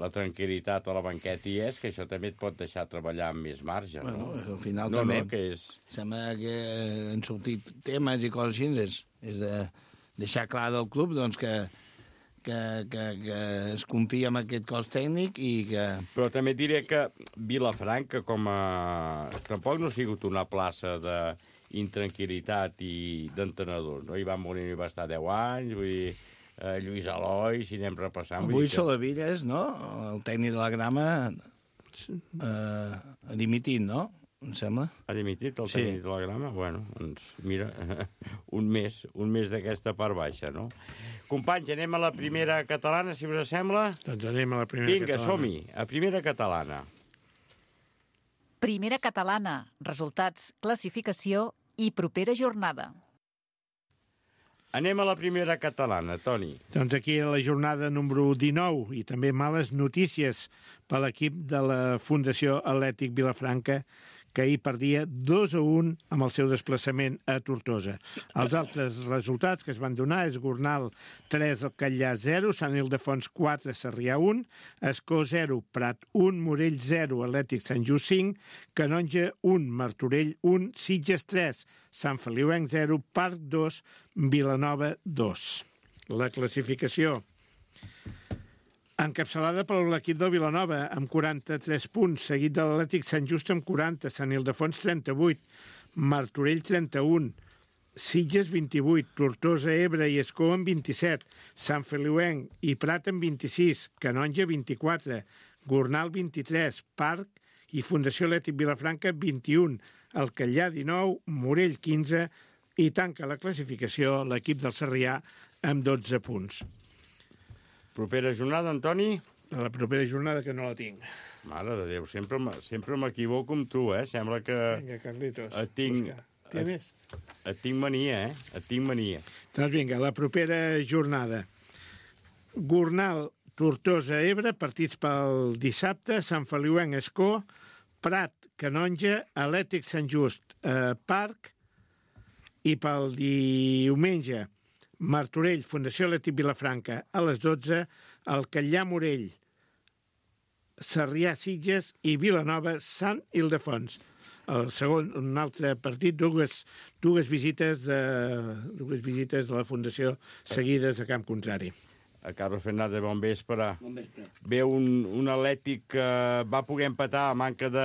la tranquil·litat a la banqueta hi és, que això també et pot deixar treballar amb més marge. Bueno, no? al final no, també no, que és... sembla que han sortit temes i coses així, és, és de deixar clar del club doncs, que, que, que, que es confia en aquest cos tècnic i que... Però també diré que Vilafranca, com a... tampoc no ha sigut una plaça de intranquil·litat i d'entenedors, no? Ivan Molino va estar deu anys, vull dir, eh, Lluís Aloi, si anem repassant... Avui que... Solavilles, no?, el tècnic de la Grama, eh, ha dimitit, no?, em sembla. Ha dimitit el Sí. tècnic de la Grama? Bueno, doncs mira, un mes, un mes d'aquesta part baixa, no? Companys, anem a la primera catalana, si us sembla? Doncs anem a la primera Vinga, catalana. som-hi, a primera catalana. Primera catalana. Resultats, classificació i propera jornada. Anem a la primera catalana, Toni. Doncs aquí a la jornada número dinou i també males notícies per l'equip de la Fundació Atlètic Vilafranca, que ahir perdia dos a un amb el seu desplaçament a Tortosa. Els altres resultats que es van donar és Gornal tres, el Catllà zero, Sant Ildefons quatre, Sarrià un, Escó zero, Prat un, Morell zero, Atlètic Sant Just cinc, Canonja un, Martorell un, Sitges tres, Sant Feliuenc zero, Parc dos, Vilanova dos. La classificació encapçalada per l'equip del Vilanova amb quaranta-tres punts, seguit de l'Atlètic Sant Just amb quaranta, Sant Ildefons trenta-vuit, Martorell trenta-un, Sitges vint-i-vuit, Tortosa, Ebre i Escó amb vint-i-set, Sant Feliuenc i Prat amb vint-i-sis, Canonja vint-i-quatre, Gornal vint-i-tres, Parc i Fundació Atlètic Vilafranca vint-i-un, el Catllà dinou, Morell quinze i tanca la classificació l'equip del Sarrià amb dotze punts. Propera jornada, Antoni? A la propera jornada que no la tinc. Mare de Déu, sempre, m- sempre m'equivoco amb tu, eh? Sembla que Vinga, Carlitos. et tinc, busca. Tienes? et tinc mania, eh? Et tinc mania. Doncs vinga, la propera jornada. Gornal, Tortosa, Ebre, partits pel dissabte, Sant Feliuenc, Escó, Prat, Canonja, Atlètic Sant Just, eh, Parc, i pel diumenge, Martorell, Fundació Atlètic Vilafranca, a les dotze, el Catllà Morell, Sarrià Sitges i Vilanova Sant Ildefons. El segon, un altre partit, dues, dues, visites de, dues visites de la Fundació seguides a camp contrari. A Carlos Fernández, bon vespre. Bon vespre. Ve un, un Atlètic que va poder empatar a manca de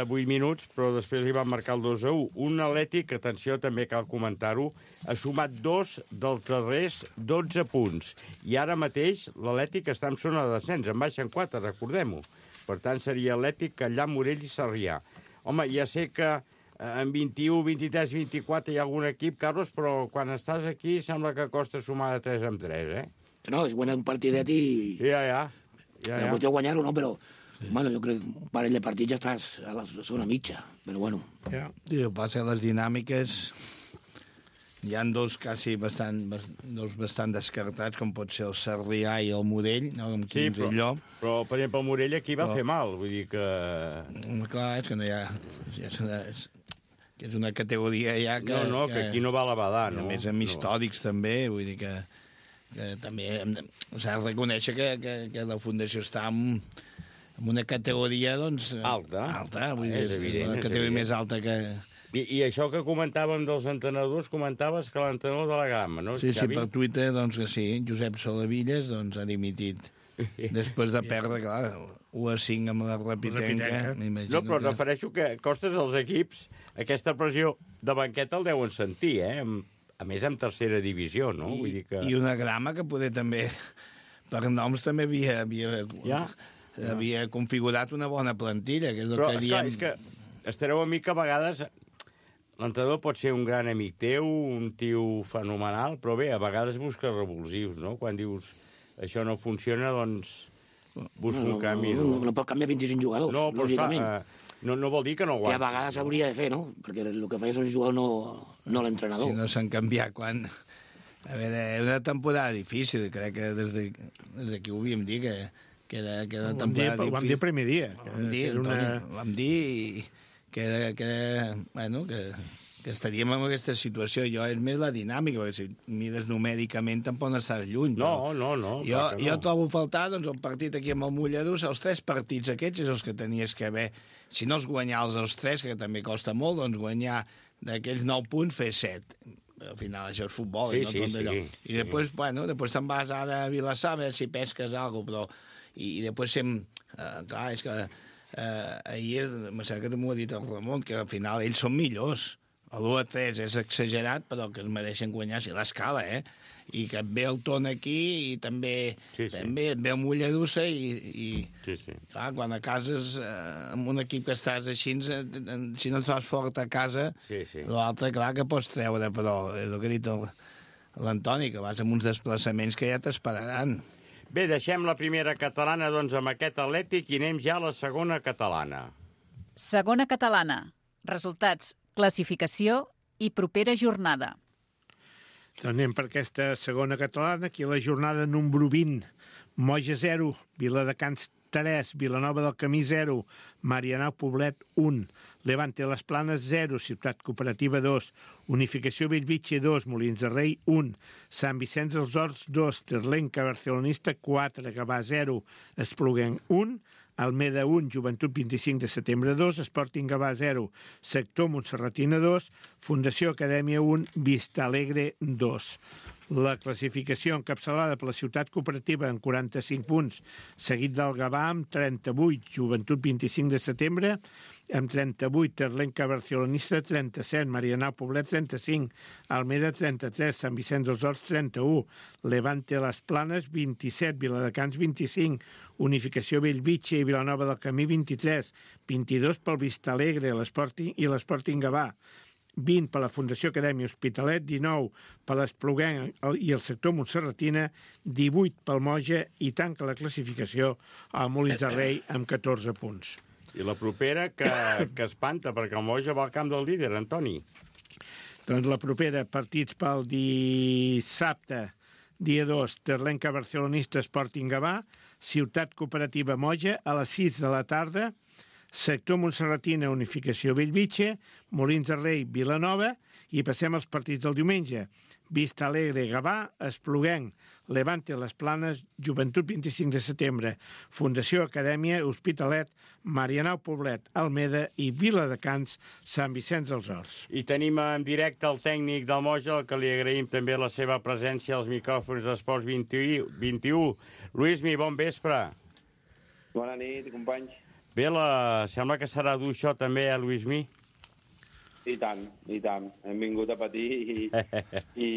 vuit minuts, però després li van marcar el dos a u. Un Atlètic, atenció, també cal comentar-ho, ha sumat dos dels darrers dotze punts. I ara mateix l'Atlètic està en zona de descens, en baixen quatre, recordem-ho. Per tant, seria Atlètic, Catllà, Morell i Sarrià. Home, ja sé que en vint-i-u, vint-i-tres, vint-i-quatre hi ha algun equip, Carlos, però quan estàs aquí sembla que costa sumar de tres amb tres, eh? No, es bueno un partidet i... Ja, ja. ja, La ja. qüestió guanyar-ho, no, però... Sí. Bueno, jo crec que un parell de partits ja estàs a la zona mitja, però bueno. Ja. Sí, el que passa que les dinàmiques... Hi ha dos quasi bastant, dos bastant descartats, com pot ser el Sarrià i el Morell, no? Amb Sí, quinze però, allò. però, per exemple, el Morell aquí va Però- fer mal, vull dir que... Clar, és que no hi ha... És una, és, que és una categoria ja que... No, no, que aquí no va la badar, i no? A més, amb històrics també, vull dir que, que també hem de- s'ha de reconèixer que, que, que la Fundació està en, en una categoria, doncs... Alta. Alta, vull És dir, és evident, una és categoria evident. més alta que... I, I això que comentàvem dels entrenadors, comentaves que l'entrenador de la Grama, no? Sí, sí, Xavi? per Twitter, doncs que sí, Josep Solavilles doncs, ha dimitit. Després de perdre, clar, u a cinc amb la Repitenca. Repitenca. m'imagino No, però que- refereixo que costes als equips aquesta pressió de banqueta el deuen sentir, eh? Amb- A més, en tercera divisió, no? Vull dir que... I una Grama que poder també, per noms, també havia, havia, Ja. havia configurat una bona plantilla, que és el Però, que esclar, diem... és que estareu amic que a vegades l'entrenador pot ser un gran amic teu, un tio fenomenal, però bé, a vegades busca revulsius, no? Quan dius això no funciona, doncs busca no, un canvi, no, no? no, no pot canviar vint-i-cinc jugadors, No, però esclar, lògicament. eh, no, no vol dir que no Que a aguanti. vegades hauria de fer, no? Perquè el que feia el jugador no, no l'entrenador. Si no s'han canviat quan... A veure, és una temporada difícil, crec que des de, des d'aquí ho havíem dit, que, que era, que era una Ho vam dir, temporada ho vam dir el primer dia. Ho vam dir, era una... Antoni, ho vam dir i que, era, que, era, bueno, que, que estaríem en aquesta situació. Jo és més la dinàmica, perquè si mires numèricament tampoc no estàs lluny. No, no, no. Jo, clar que no. jo trobo a faltar doncs, el partit aquí amb el Molladús, els tres partits aquests és els que tenies que haver, si no els guanyar els tres, que també costa molt, doncs guanyar d'aquells nou punts, fer set. Al final això és futbol, Sí, no sí, tot allò. sí, I després, sí. bueno, després te'n vas ara a Vilassar a veure si pesques alguna cosa, però... I, i després sem... Eh, clar, és que eh, ahir, me sembla que m'ho ha dit el Ramon, que al final ells són millors. L'u a tres és exagerat, però que es mereixen guanyar, si l'escala, eh? I que et ve el Ton aquí i també, Sí, sí. també et ve el Molledussa i, i Sí, sí. clar, quan a casa és, eh, amb un equip que estàs així, eh, si no et fas fort a casa, Sí, sí. l'altre, clar, que pots treure, però és el que ha dit el- l'Antoni, que vas amb uns desplaçaments que ja t'esperaran. Bé, deixem la primera catalana doncs amb aquest Atlètic i anem ja a la segona catalana. Segona catalana. Resultats, classificació i propera jornada. Doncs anem per aquesta segona catalana, aquí la jornada número vint. Moja zero, Viladecans tres, Vilanova del Camí zero, Marianao Poblet un, Levante Les Planes zero, Ciutat Cooperativa dos, Unificació Bellvitge dos, Molins de Rei un, Sant Vicenç dels Horts dos, Terlenca Barcelonista quatre, Gavà zero, Espluguenc un, Almeda un, Joventut vint-i-cinc de setembre dos, Sporting Gavà zero, Sector Montserratina dos, Fundació Acadèmia un, Vista Alegre dos. La classificació encapçalada per la Ciutat Cooperativa amb quaranta-cinc punts, seguit del Gavà amb trenta-vuit, Joventut vint-i-cinc de setembre, amb trenta-vuit, Terlenca Barcelonista trenta-set, Marianao Poblet trenta-cinc, Almeda trenta-tres, Sant Vicenç dels Horts trenta-u, Levante Les Planes vint-i-set, Viladecans vint-i-cinc, Unificació Bellvitge i Vilanova del Camí vint-i-tres, vint-i-dos pel Vista Alegre l'Sporting i l'Sporting Gavà, vint per la Fundació Acadèmia Hospitalet, dinou per l'Espluguenc i el sector Montserratina, divuit pel Moja i tanca la classificació al Molins de Rei amb catorze punts. I la propera que, que espanta, perquè el Moja va al camp del líder, Antoni. Doncs la propera, partits pel dissabte, dia dos, Terlenca Barcelonista Sporting Gavà, Ciutat Cooperativa Moja, a les sis de la tarda, Sector Montserratina, Unificació Bellvitge, Molins de Rei, Vilanova, i passem als partits del diumenge. Vista Alegre, Gavà, Espluguenc, Levante Les Planes, Joventut vint-i-cinc de setembre, Fundació Acadèmia, Hospitalet, Marianao Poblet, Almeda i Viladecans, Sant Vicenç dels Horts. I tenim en directe el tècnic del Moja, al que li agraïm també la seva presència als micròfons d'Esports vint i u. Luismi, bon vespre. Bona nit, companys. Bé, la... sembla que serà dur això també, eh, Luismi? I tant, i tant. Hem vingut a patir i, i,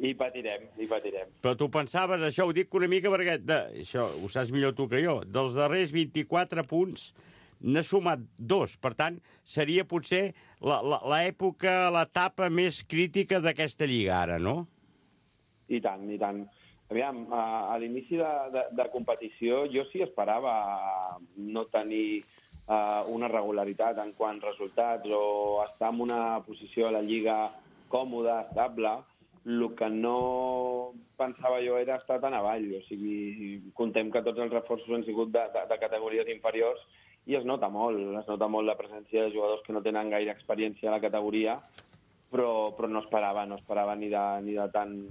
i patirem, i patirem. Però tu pensaves, això ho dic una mica perquè, de, això ho saps millor tu que jo, dels darrers vint-i-quatre punts n'ha sumat dos. Per tant, seria potser l'època, l'etapa més crítica d'aquesta lliga ara, no? I tant, i tant. Aviam, a, a l'inici de, de, de competició jo sí esperava no tenir uh, una regularitat en quant resultats o estar en una posició a la Lliga còmoda, estable. El que no pensava jo era estar tan avall. O sigui, contem que tots els reforços han sigut de, de, de categories inferiors i es nota molt, es nota molt la presència de jugadors que no tenen gaire experiència a la categoria, però, però no esperava, no esperava ni de, ni de tant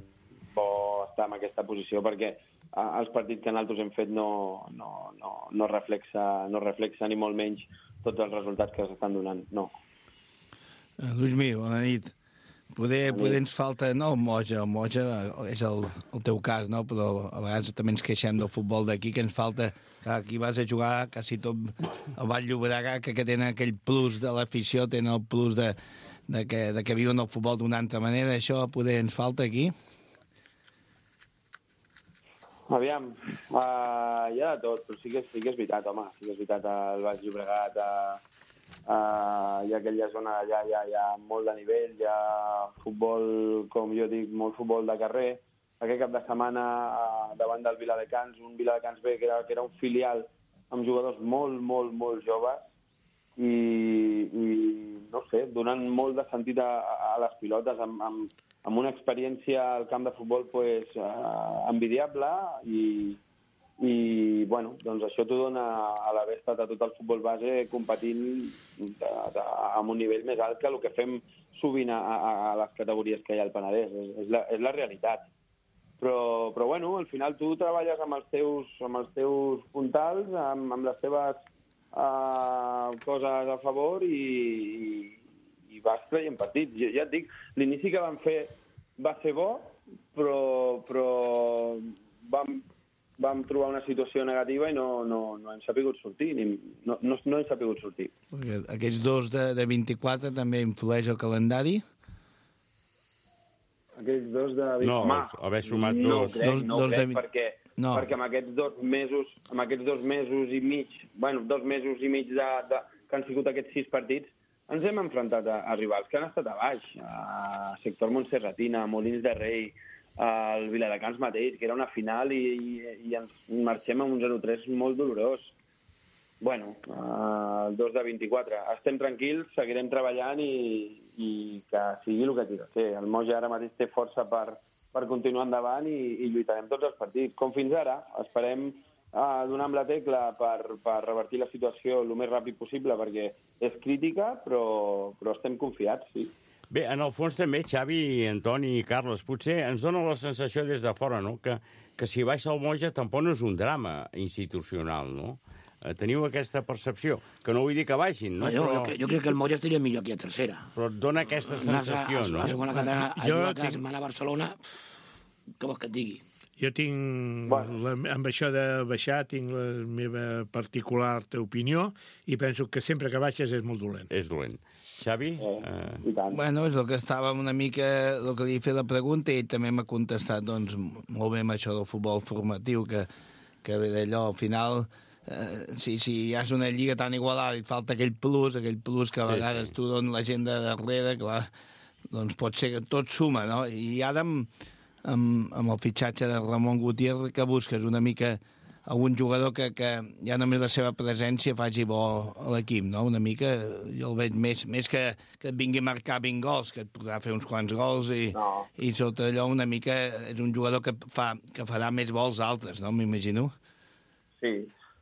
bo estar en aquesta posició, perquè els partits que nosaltres hem fet no, no, no, no, reflexa, no reflexa ni molt menys tots els resultats que s'estan donant, no. Luismi, bona nit. Poder, poder ens falta, no el Moja, el Moja és el, el teu cas, no? Però a vegades també ens queixem del futbol d'aquí, que ens falta, que aquí vas a jugar quasi tot el Vall Llobregat, que, que tenen aquell plus de l'afició, tenen el plus de, de, que, de que viuen el futbol d'una altra manera, això poder ens falta aquí? Aviam, uh, hi ha de tot, però sí que, sí que és veritat, home, sí que és veritat, el Baix Llobregat, uh, uh, hi ha aquella zona allà, hi ha, hi ha molt de nivell, hi ha futbol, com jo dic, molt futbol de carrer. Aquest cap de setmana, uh, davant del Viladecans, un Viladecans B, que era, que era un filial amb jugadors molt, molt, molt joves, i donant molt de sentit a, a les pilotes, amb, amb, amb una experiència al camp de futbol pues, uh, envidiable i, i bueno, doncs això t'ho dona a l'haver estat a tot el futbol base competint de, de, amb un nivell més alt que el que fem sovint a, a, a les categories que hi ha al Penedès. És, és, la, és la realitat. Però, però bueno, al final tu treballes amb els teus, amb els teus puntals, amb, amb les teves uh, coses a favor i, i, i vas traient partits. Jo, ja et dic, l'inici que vam fer va ser bo, però, però vam, vam trobar una situació negativa i no, no, no hem sapigut sortir. Ni, no, no, no hem sapigut sortir. Perquè aquests dos de, de vint-i-quatre també influeix el calendari? Aquells dos de... No, Home, haver sumat no dos. Crec, dos, no dos crec, de... perquè, no. perquè amb aquests dos mesos, amb aquests dos mesos i mig, bueno, dos mesos i mig de, de, que han sigut aquests sis partits, ens hem enfrontat a, a rivals que han estat a baix, a sector Montserratina, a Molins de Rei, al Viladecans mateix, que era una final i, i, i ens marxem amb un zero tres molt dolorós. Bueno, uh, el dos de vint-i-quatre. Estem tranquils, seguirem treballant i, i que sigui el que hagi de ser. El Moja ara mateix té força per, per continuar endavant i, i lluitarem tots els partits. Com fins ara, esperem uh, donar amb la tecla per, per revertir la situació el més ràpid possible, perquè és crítica, però, però estem confiats, sí. Bé, en el fons també, Xavi, Antoni i Carles, potser ens dona la sensació des de fora, no?, que, que si baixa el Moja tampoc no és un drama institucional, no? Teniu aquesta percepció, que no vull dir que baixin, no? no jo, però... jo, crec, jo crec que el Moja estaria millor aquí a tercera. Però et dona aquesta sensació, a, a, no? A segona catalana, a Jo jugar a tinc- casa, a Barcelona, què vols que et digui? Jo tinc, la, amb això de baixar, tinc la meva particular opinió i penso que sempre que baixes és molt dolent. És dolent. Xavi? Eh, I tant. Bueno, és el que estàvem una mica... El que li he fet la pregunta i ell també m'ha contestat, doncs, molt bé amb això del futbol formatiu, que, que ve d'allò, al final... Eh, si, si hi has una lliga tan igualada i et falta aquell plus, aquell plus que a vegades sí, sí. tu dones la gent de darrere, clar, doncs pot ser que tot suma, no? I ara amb, amb, amb el fitxatge de Ramon Gutiérrez que busques una mica algun jugador que, que ja només la seva presència faci bo a l'equip, no? Una mica, jo el veig més, més que, que et vingui a marcar vint gols, que et podrà fer uns quants gols i, no. i sota allò una mica és un jugador que, fa, que farà més vols altres, no? M'imagino. Sí.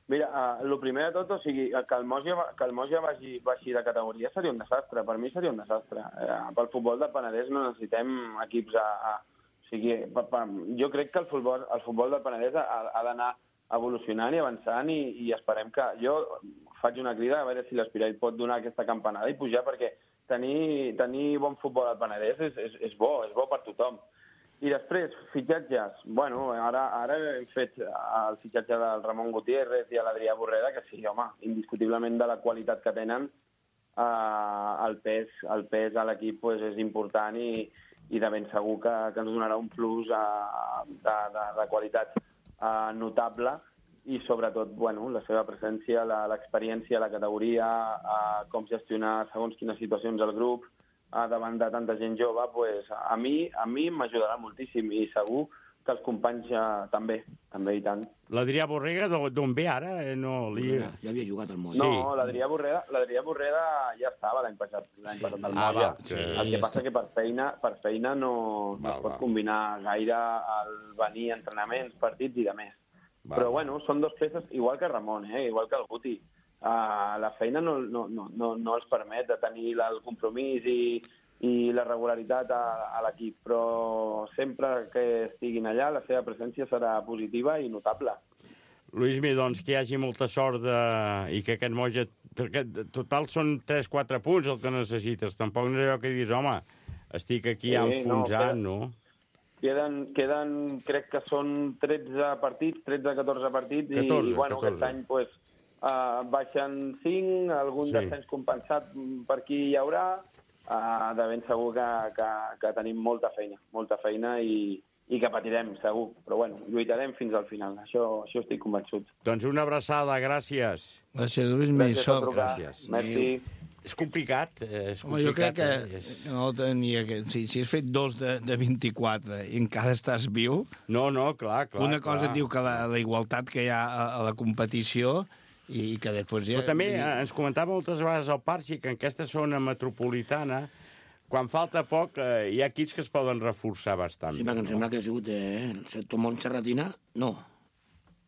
Mira, uh, el primer de tot, o sigui, que el Moja, que el Moja vagi, vagi de categoria seria un desastre. Per mi seria un desastre. Uh, pel futbol del Penedès no necessitem equips a... a o sigui, pa, pa, jo crec que el futbol, el futbol del Penedès ha, ha d'anar evolucionant i avançant i, i esperem que... Jo faig una crida a veure si l'Espirall pot donar aquesta campanada i pujar, perquè tenir, tenir bon futbol al Penedès és, és, és bo, és bo per tothom. I després, fitxatges. Bueno, ara, ara hem fet el fitxatge del Ramon Gutiérrez i a l'Adrià Borreda, que sí, home, indiscutiblement de la qualitat que tenen, eh, el pes, el pes a l'equip pues, és important i, i de ben segur que, que ens donarà un plus eh, de, de, de qualitat eh, notable i sobretot, bueno, la seva presència, l'experiència, la categoria, eh, com gestionar segons quines situacions el grup, davant de tanta gent jove, pues, a mi a mi m'ajudarà moltíssim i segur que els companys ja, també, també i tant. L'Adrià Borrega d'on ve ara? Eh, no, li... ja, ja havia jugat al Moja. No, sí. l'Adrià Borreda, l'Adrià Borreda ja estava l'any passat, l'any passat al Moja. Ah, sí, el que passa que per feina, per feina no, no va, es pot va. combinar gaire el venir a entrenaments, partits i de més. Va, Però va. bueno, són dos peces, igual que Ramon, eh, igual que el Guti. Uh, la feina no, no, no, no, no els permet de tenir el compromís i, i la regularitat a, a l'equip, però sempre que estiguin allà la seva presència serà positiva i notable. Luismi, doncs, que hi hagi molta sort de... i que aquest Moja... Perquè total són tres quatre punts el que necessites. Tampoc no és allò que dius, home, estic aquí Sí, enfonsant, no, no? Queden, queden, crec que són tretze partits, tretze catorze partits, catorze, i bueno, catorze. aquest any pues, uh, baixen cinc, algun Sí. descens compensat per aquí hi haurà, uh, de ben segur que, que, que tenim molta feina, molta feina i, i que patirem, segur. Però bueno, lluitarem fins al final, això, això estic convençut. Doncs una abraçada, gràcies. Gràcies, Lluís Gràcies per Missor. trucar. Gràcies. Merci. És complicat, eh, és Home, jo crec complicat. que eh, és- no tenia que... Si, si has fet dos de, de vint-i-quatre i encara estàs viu, No, no, clar, clar. una cosa clar. et diu que la, la igualtat que hi ha a, a la competició i que després... Ja... Però també ens comentava moltes vegades el Parxi que en aquesta zona metropolitana, quan falta poc, eh, hi ha equips que es poden reforçar bastant. Sí, perquè em sembla que ha sigut eh, el sector Montserratina, no,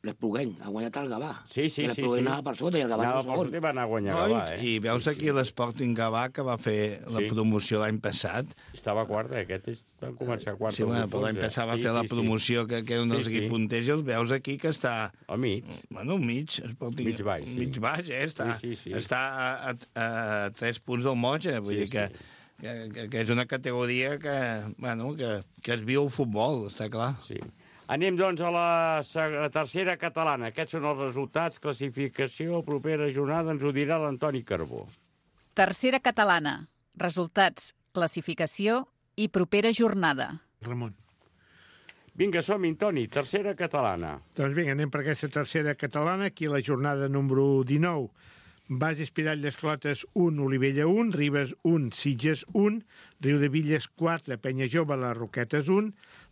l'Esplugueny, ha guanyat el Gavà. Sí, sí, sí. L'Esplugueny anava per sota i el Gavà anava per per sota i va anar a guanyar Gavà, eh? I veus aquí l'Sporting Gavà, que va fer la promoció l'any passat. Estava quart, eh? Aquest van començar quart. Sí, bueno, però l'any passat va fer la promoció, que era un dels equips punters, i els veus aquí que està... Al mig. Bueno, al mig. Sporting... Mig baix, sí. Mig baix, eh? Està, sí, sí, sí. està a, a, a tres punts del Moja, vull sí, dir que... Sí. Que, que, que és una categoria que, bueno, que, que es viu el futbol, està clar. Sí. Anem, doncs, a la, a la tercera catalana. Aquests són els resultats, classificació, propera jornada, ens ho dirà l'Antoni Carbó. Tercera catalana. Resultats, classificació i propera jornada. Ramon. Vinga, som-hi, Toni, tercera catalana. Doncs vinga, anem per aquesta tercera catalana, aquí la jornada número dinou. Base Espirall d'Esclotes un, Olivella un, Ribes un, Sitges un, Riudevilles quatre, Penya Jove, les Roquetes un,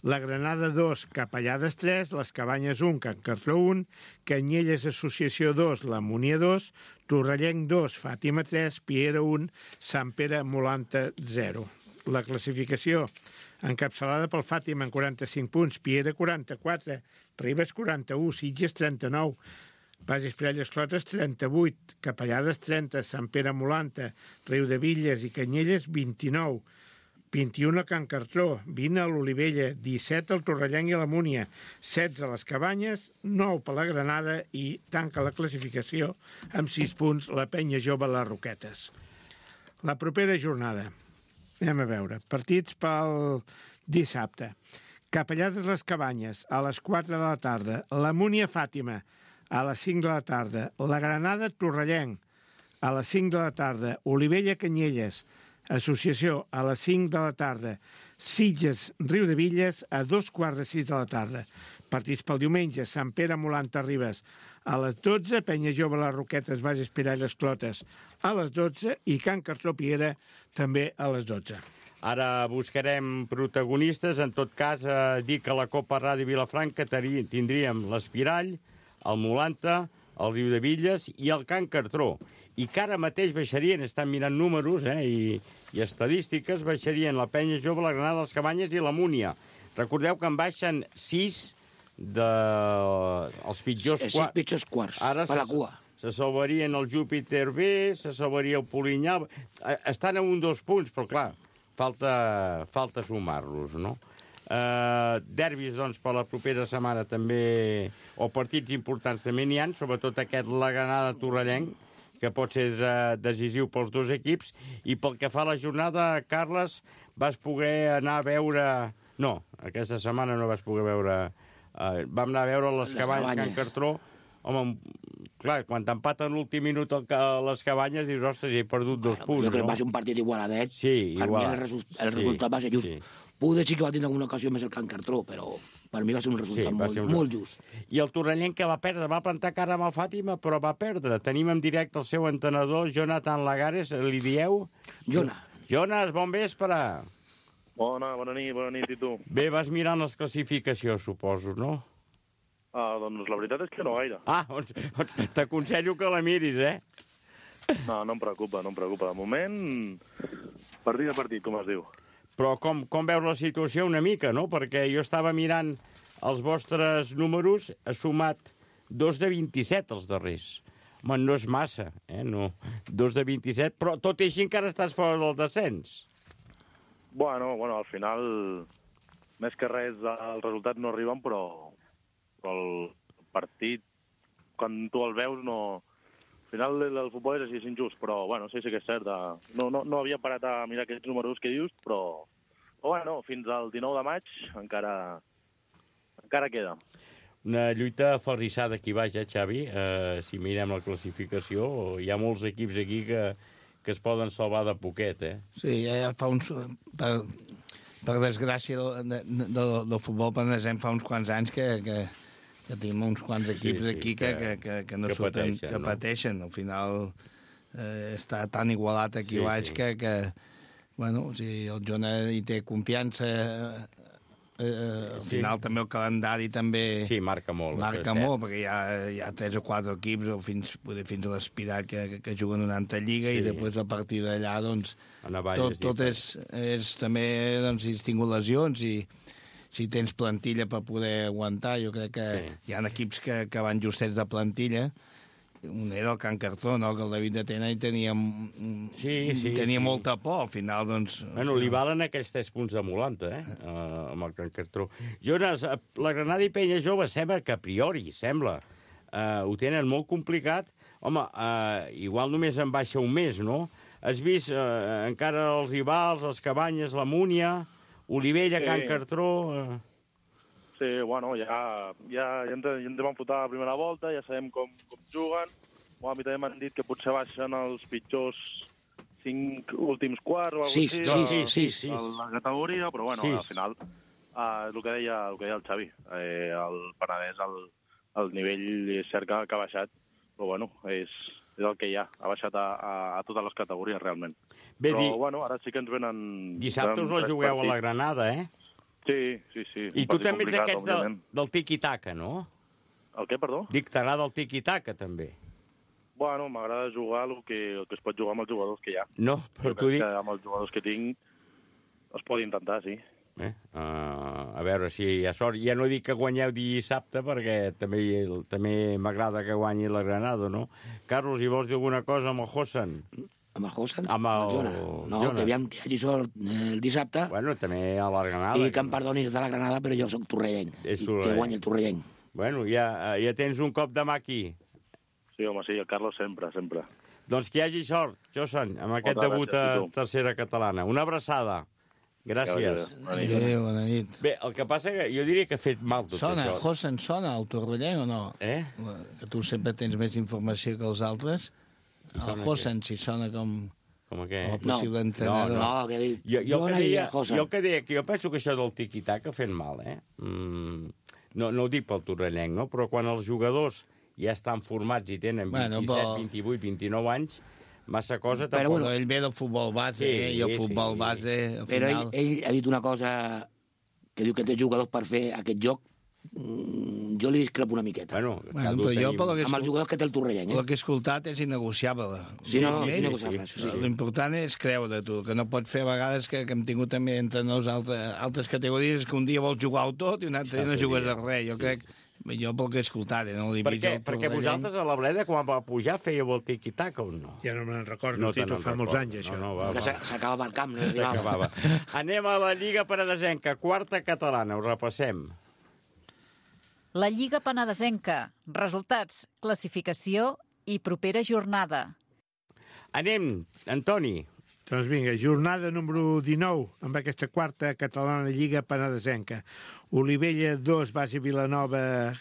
la Granada dos, Capellades tres, les Cabanyes un, Can Cartró un, Canyelles Associació dos, la Múnia dos, Torrellenc dos, Fàtima tres, Piera un, Sant Pere Molanta zero. La classificació encapçalada pel Fàtima en quaranta-cinc punts, Piera quaranta-quatre, Ribes quaranta-u, Sitges trenta-nou, Base Espirall Esclotes trenta-vuit, Capellades trenta, Sant Pere Molanta, Riudevilles i Canyelles vint-i-nou, vint-i-un a Can Cartró, vint a l'Olivella, disset al Torrellenc i a la Múnia, setze a les Cabanyes, nou per la Granada i tanca la classificació amb sis punts la Penya Jove les Roquetes. La propera jornada, anem a veure, partits pel dissabte. Capellades les Cabanyes, a les quatre de la tarda, la Múnia Fàtima, a les cinc de la tarda, la Granada Torrellenc, a les cinc de la tarda, Olivella Canyelles, Associació a les cinc de la tarda, Sitges Riudevilles a dos quarts de sis de la tarda. Partits pel diumenge, Sant Pere Molanta Ribes a les dotze, Penya Jove les Roquetes, Base Espirall Esclotes a les dotze i Can Cartró Piera també a les dotze. Ara buscarem protagonistes. En tot cas, eh, dir que a la Copa Ràdio Vilafranca tindríem l'Espirall, el Molanta, el Riudevilles i el Can Cartró. I que ara mateix baixarien, estan mirant números eh, i, i estadístiques, baixarien la Penya Jove, la Granada, les Cabanyes i la Múnia. Recordeu que en baixen sis dels pitjors quarts. Sis pitjors quarts, ara per la cua. Se salvarien el Júpiter B, se salvaria el Polinyà... Estan a un dos punts, però clar, falta, falta sumar-los, no? Uh, derbis, doncs, per la propera setmana també, o partits importants també n'hi ha, sobretot aquest la Granada Torrellenc, que pot ser uh, decisiu pels dos equips, i pel que fa a la jornada, Carles, vas poder anar a veure... No, aquesta setmana no vas poder veure... Uh, vam anar a veure les, les Cabanyes, Can Cartró. Home, clar, quan t'empaten l'últim minut a les Cabanyes, dius, ostres, he perdut dos bueno, punts, jo crec no? que va ser un partit igualadet. Sí, per igual. mi el, resu el resultat sí, va ser just. Sí. Poder sí que va tenir alguna ocasió més el Can Cartró, però per mi va ser un resultat sí, molt, un... molt just. I el Torrellenc que va perdre, va plantar cara amb el Fàtima, però va perdre. Tenim en directe el seu entrenador, Jonathan Lagares, li dieu? Jona. Jonas, bon vespre. Bona, bona nit, bona nit, i tu? Bé, vas mirant les classificacions, suposo, no? Ah, doncs la veritat és que no gaire. Ah, doncs, doncs t'aconsello que la miris, eh? No, no em preocupa, no em preocupa. De moment, partit a partit, com es diu. Però com, com veus la situació una mica, no? Perquè jo estava mirant els vostres números, ha sumat dos de vint-i-set els darrers. Home, no és massa, eh? No, dos de vint-i-set, però tot i així encara estàs fora del descens. Bueno, bueno, al final, més que res, els resultats no arriben, però, però el partit, quan tu el veus, no... Al final el futbol és així, és injust, però bueno, sí, sí que és cert. No, no, no havia parat a mirar aquests números que dius, però, però bueno, fins al dinou de maig encara, encara queda. Una lluita aferrissada aquí baix, eh, Xavi? Eh, si mirem la classificació, hi ha molts equips aquí que, que es poden salvar de poquet, eh? Sí, ja fa uns... Per, per desgràcia del, de, de, del futbol panesem fa uns quants anys que... que... que tenim uns quants equips sí, sí, aquí que, que, que, que no que surten, pateixen, que no? pateixen. Al final eh, està tan igualat aquí sí, baix sí. que, que, bueno, si el Jona hi té confiança eh, al final sí. també el calendari també... Sí, marca molt. Marca molt, perquè hi ha, hi ha tres o quatre equips, o fins, fins a l'Espirat, que, que, que juguen una altra lliga, sí. i després a partir d'allà, doncs, tot, tot és, és també, doncs, si has tingut lesions i si tens plantilla per poder aguantar, jo crec que sí. hi ha equips que, que van justets de plantilla. Un era el Can Cartró, no? Que el David de Tena hi tenia, sí, sí, tenia sí. molta por, al final, doncs... Bueno, li valen aquells tres punts de Molanta, eh? Uh, amb el Can Cartró. Jonas, la Granada i Penya Jove sembla que a priori, sembla, uh, ho tenen molt complicat. Home, uh, igual només en baixa un mes, no? Has vist uh, encara els rivals, els Cabanyes, la Múnia, Olivella, sí. Can Cartró... Uh... Sí, bueno, ja, ja, ja, ens, ja ens vam fotar a la primera volta, ja sabem com, com juguen. Bueno, a mi també m'han dit que potser baixen els pitjors cinc últims quarts o alguna sí, cosa així, sí, sí, sí, sí. a la categoria, però bueno, sí. al final, uh, el, que deia, el que deia el Xavi, eh, el Penedès, el, el nivell és cert que, que ha baixat, però bueno, és, és el que hi ha, ha baixat a, a, a totes les categories realment. Bé, però di... bueno, ara sí que ens venen... Dissabte us la jugueu a la Granada, eh? Sí, sí, sí. I tu també ets aquests del, del tiki-taka, no? El què, perdó? Dic, t'agrada el tiki-taka, també. Bueno, m'agrada jugar el que, el que es pot jugar amb els jugadors que hi ha. No, però tu dic... Amb els jugadors que tinc es pot intentar, sí. Eh? Uh, a veure si hi ha sort. Ja no dic que guanyeu dissabte, perquè també, també m'agrada que guanyi la Granada, no? Carlos, hi vols dir alguna cosa amb el Hossen? Amb el Hossen? Amb el... Jona. No, Jona. Que aviam que hi hagi sort el dissabte. Bueno, també a la Granada. I que em perdonis de la Granada, però jo sóc torrellenc. És I que guanyi el torrellenc. Bueno, ja, ja tens un cop de mà aquí. Sí, home, sí, el Carlos sempre, sempre. Doncs que hi hagi sort, Josan, amb aquest Moltes debut gràcies, a tercera catalana. Una abraçada. Gràcies. Adéu, bona nit. Bé, el que passa que jo diria que ha fet mal tot sona, això. Hossen, sona el torrellenc o no? Eh? Que tu sempre tens més informació que els altres. El Hossen, si sona com... Com què? Com a possible no, entrenador. No, no, que dic... Jo, jo, jo, que deia, Hossen. jo que deia que jo penso que això del tiqui-taca ha fet mal, eh? Mm, no, no ho dic pel torrellenc, no? Però quan els jugadors ja estan formats i tenen bueno, vint-i-set, però... vint-i-vuit, vint-i-nou anys, massa cosa... Però tampoc... bueno, ell ve del futbol base, sí, eh? I el futbol sí. base, al Però final... ell, ell ha dit una cosa que diu que té jugadors per fer aquest joc. Mm, jo li discrepo una miqueta. Bueno, bueno però jo, pel que amb els jugadors que té el Torrelleny, eh? El que he escoltat és innegociable. Sí, no, no, és innegociable. Sí, sí. L'important és creure, tu, que no pot fer a vegades que, que hem tingut també entre nos altres, altres categories que un dia vols jugar-ho tot i un altre dia no jugues a res. Jo sí, crec... Jo pel que he escoltat, eh, no li per què? Perquè vosaltres a la Bleda, quan va pujar, fèieu el tiqui-taca o no? Ja no me'n recordo, no, no fa molts anys, això. No, no, va, va. S'acabava el camp, no s'acabava. Anem a la Lliga Penedesenca, quarta catalana, ho repassem. La Lliga Penedesenca. Resultats, classificació i propera jornada. Anem, Antoni. Doncs vinga, jornada número dinou, amb aquesta quarta catalana Lliga Penedesenca. Olivella dos, Base Vilanova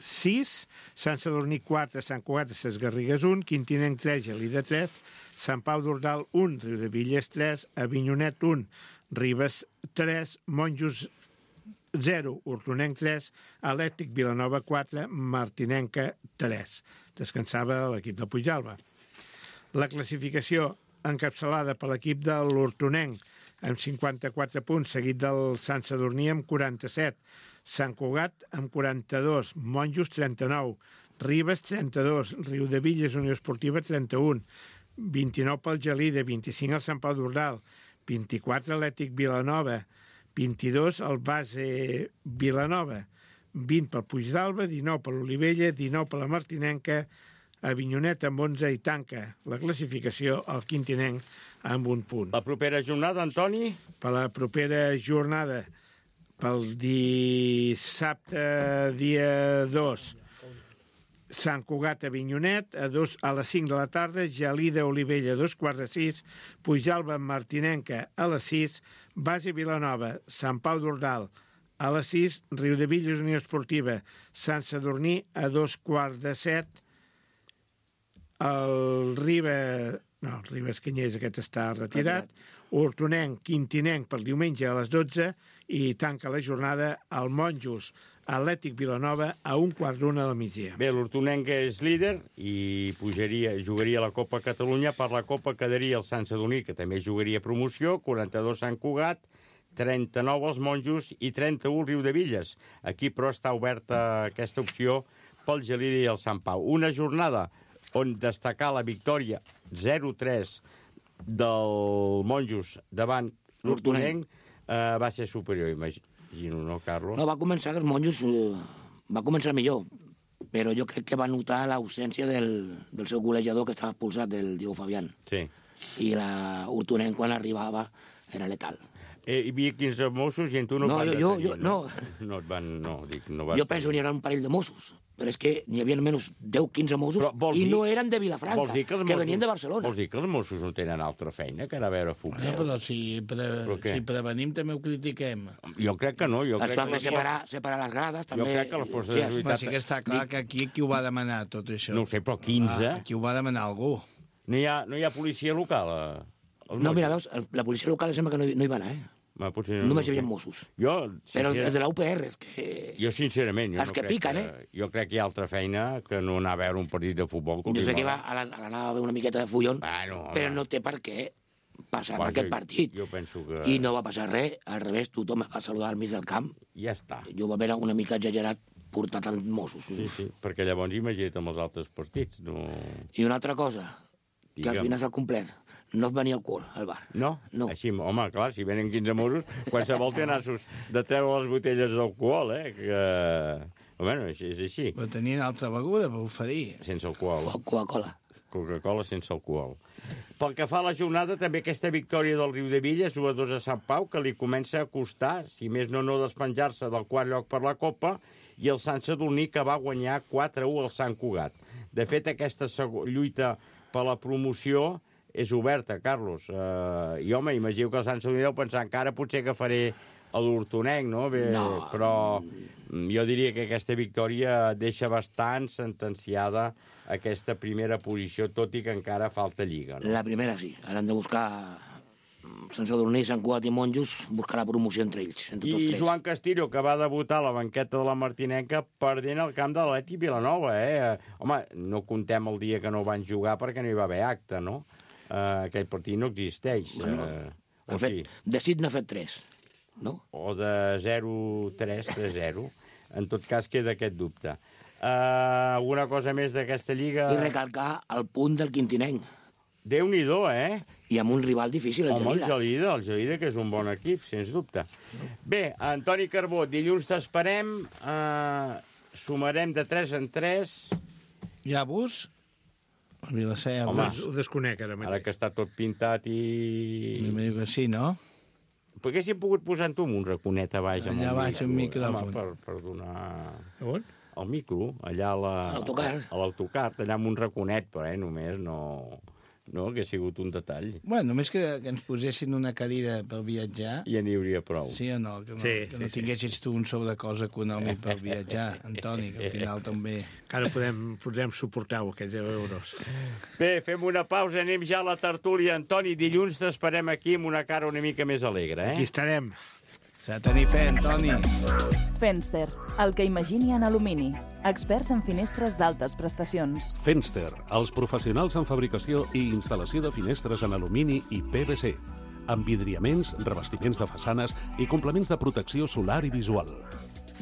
sis, Sant Sadurní quatre, Sant Cugat de Ses Garrigues un, Quintinenc tres, Gelida tres, Sant Pau d'Ordal un, Riudevilles tres, Avinyonet un, Ribes tres, Monjos zero, Hortonenc tres, Atlètic Vilanova quatre, Martinenca tres. Descansava l'equip de Puigdàlber. La classificació encapçalada per l'equip de l'Hortonenc amb cinquanta-quatre punts, seguit del Sant Sadurní amb quaranta-set, Sant Cugat amb quaranta-dos, Monjos trenta-nou, Ribes trenta-dos, Riudevilles Unió Esportiva trenta-un, vint-i-nou pel Gelida, vint-i-cinc al Sant Pau d'Ordal, vint-i-quatre Atlètic Vilanova, vint-i-dos el Base Vilanova, vint pel Puigdàlber, dinou per l'Olivella, dinou per la Martinenca, Avinyonet amb onze i tanca la classificació al Quintinenc amb un punt. La propera jornada, Antoni? Per la propera jornada, pel dissabte dia dos, Sant Cugat Avinyonet, a, dos, a les cinc de la tarda, Gelida Olivella, dos quarts de sis, Puigdàlber Martinenca a les sis, Base Vilanova, Sant Pau d'Ordal a les sis, Riudevilles Unió Esportiva, Sant Sadurní a dos quarts de set, el Ribes, no, el Ribes Canyers aquest està retirat, Hortonenc, Quintinenc pel diumenge a les dotze i tanca la jornada al Monjos, Atlètic Vilanova a un quart d'una del migdia. Bé, l'Hortonenc és líder i pujaria, jugaria a la Copa Catalunya. Per la Copa quedaria el Sant Sadurní, que també jugaria promoció, quaranta-dos Sant Cugat, trenta-nou els Monjos i trenta-u el Riudevilles. Aquí, però, està oberta aquesta opció pel Gelida i el Sant Pau. Una jornada on destacar la victòria zero tres del Monjos davant l'Hortonenc eh, va ser superior, imagino, no, Carlos? No, va començar, els Monjos eh, va començar millor, però jo crec que va notar l'ausència del, del seu golejador que estava expulsat, del Diego Fabián. Sí. I la Hortonenc, quan arribava, era letal. Eh, hi havia quinze Mossos i en tu no, no van jo, detenir, jo, no? No, no et van... No, dic, no vas jo penso que n'hi haurà un parell de Mossos, però és que n'hi havia almenys deu quinze Mossos i dir, no eren de Vilafranca, que, que Mossos, venien de Barcelona. Vols dir que els Mossos no tenen altra feina que anar a veure futbol? No, però si, pre... però si prevenim també ho critiquem. Jo crec que no. Jo es crec va fer que separar, separar les grades, també. Jo crec que la força de seguretat... Sí que està clar que aquí qui ho va demanar, tot això. No ho sé, però quinze... Ah, qui ho va demanar algú. No hi ha, no hi ha policia local? Eh? No, mira, veus, la policia local sembla que no hi, no hi va anar, eh? Ma, potser no, Només hi havia Mossos. Jo, però els de la U P R, és que... Jo, sincerament... Jo els no que piquen, que, eh? Jo crec que hi ha altra feina que no anar a veure un partit de futbol. Jo sé que va a l'anar a veure una miqueta de fullon, bueno, però no té per què passar va, aquest jo, partit. Jo penso que... I no va passar res, al revés, tothom va saludar al mig del camp. Ja està. Jo va veure una mica exagerat portar tant Mossos. Sí, sí, perquè llavors imagina't amb els altres partits. No... I una altra cosa, Digue'm. que al final s'ha complert. No et venia alcohol al bar. No? No. Així, home, clar, si venen quinze Mossos, qualsevol té nassos de treure les botelles d'alcohol, eh? Que... Bueno, és, és així. Però tenien altra beguda per oferir. Sense alcohol. Coca-Cola. Coca-Cola sense alcohol. Pel que fa a la jornada, també aquesta victòria del Riudevilles, u a dos a Sant Pau, que li comença a costar, si més no, no despenjar-se del quart lloc per la Copa, i el Sant Sadurní, que va guanyar quatre a u al Sant Cugat. De fet, aquesta lluita per la promoció és oberta, Carlos. Uh, I, home, imagino que el Sant Sadurní deu pensar encara potser que faré a l'Hortonenc, no? Bé, no? Però jo diria que aquesta victòria deixa bastant sentenciada aquesta primera posició, tot i que encara falta lliga, no? La primera sí. Ara han de buscar Sant Sadurní, Sant Cugat i Monjos, buscar la promoció entre ells, entre tots I tres. Joan Castillo, que va debutar a la banqueta de la Martinenca perdent el camp de l'Atlètic Vilanova, eh? Home, no contem el dia que no van jugar perquè no hi va haver acte, no? Uh, aquell partit no existeix. Bueno, uh, o fet, sí. De sis n'ha fet tres, no? O de zero tres a zero. En tot cas, queda aquest dubte. Uh, alguna cosa més d'aquesta lliga? I recalcar el punt del Quintinenc. Déu-n'hi-do, eh? I amb un rival difícil, el Home, Gelida. el Gelida, el Gelida, que és un bon equip, sens dubte. Bé, Antoni Carbó, dilluns t'esperem, uh, sumarem de tres en tres. Hi ha bus? A Vilaseca. Home, ho desconec ara mateix. Ara que està tot pintat i... Me diu que sí, no? Perquè haguéssim pogut posar en tu un raconet a baix. Allà amb baix, un micròfon. Home, per, per donar... A on? El micro, allà a la... A l'autocar. A l'autocar, allà amb un raconet, però eh, només no... No, que ha sigut un detall. Bueno, només que, que ens posessin una cadira per viatjar... Ja n'hi hauria prou. Sí o no? Que no, sí, que sí, no tinguessis sí. tu un sobrecost econòmic per viatjar, Antoni, que al final també... Encara podem, podem suportar aquests deu euros. Bé, fem una pausa, anem ja a la tertúlia. Antoni, dilluns t'esperem aquí amb una cara una mica més alegre, eh? Aquí estarem. S'ha de tenir fe, Antoni. Fenster, el que imagini en alumini. Experts en finestres d'altes prestacions. Fenster, els professionals en fabricació i instal·lació de finestres en alumini i P V C, amb vidriaments, revestiments de façanes i complements de protecció solar i visual.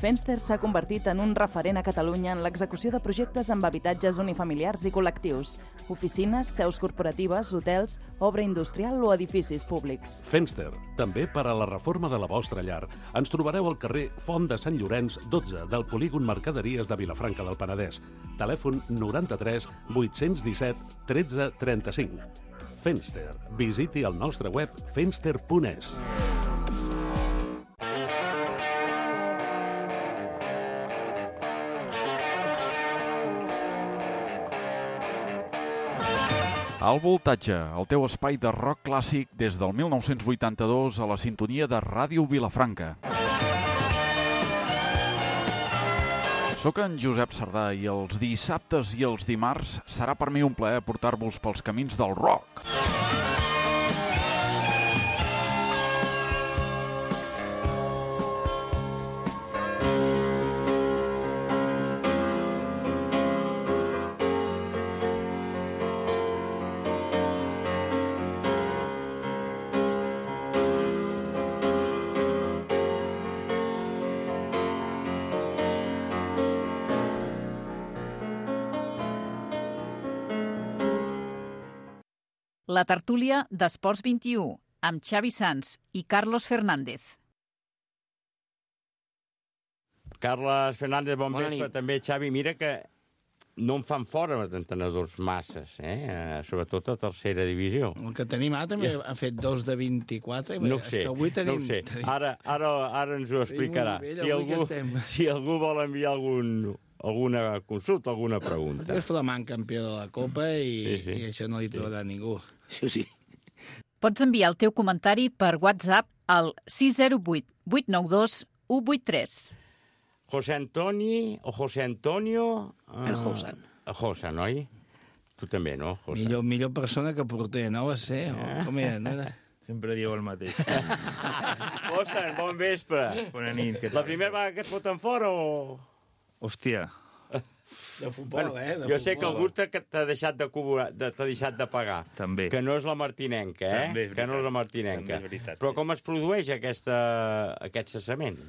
Fenster s'ha convertit en un referent a Catalunya en l'execució de projectes amb habitatges unifamiliars i col·lectius, oficines, seus corporatives, hotels, obra industrial o edificis públics. Fenster, també per a la reforma de la vostra llar. Ens trobareu al carrer Font de Sant Llorenç, dotze, del polígon Mercaderies de Vilafranca del Penedès. Telèfon noranta-tres vuit-cents disset tretze trenta-cinc. Fenster. Visiti el nostre web fenster punt es. Al voltatge, el teu espai de rock clàssic des del mil nou-cents vuitanta-dos a la sintonia de Ràdio Vilafranca. Soc en Josep Sardà i els dissabtes i els dimarts serà per mi un plaer portar-vos pels camins del rock. la tertúlia d'Esports vint-i-u, amb Xavi Sans i Carlos Fernández. Carles Fernández, bon Bona vespre. nit. També, Xavi, mira que no en fan fora d'entrenadors masses, eh? Sobretot a tercera divisió. El que tenim ara també ha fet dos de vint-i-quatre. No ho És sé, que avui tenim, no ho sé. tenim- Ara, ara, ara ens ho explicarà. Tenim un nivell Si avui que algú, estem. si algú vol enviar algun, alguna consulta, alguna pregunta. És Flamant campió de la Copa i, Sí, sí. i això no li trobarà ningú. Sí, sí. Pots enviar el teu comentari per WhatsApp al sis zero vuit vuit nou dos u vuit tres. José Antoni o José Antonio... El Josan. El Josan, oi? Tu també, no, Josan? Millor, millor persona que porter, no va ser? O, com era? No era? Sempre diu el mateix. Josan, bon vespre. Bona nit. Què La tal? primera vegada que et foten fora o...? Hòstia. De futbol, eh? De jo sé que futbol. algú t'ha t'ha deixat de cobrar, de- t'ha deixat de pagar. També. Que no és la martinenca, eh? També és que no és la veritat. martinenca. També és veritat, Però sí. com es produeix aquesta, aquest cessament?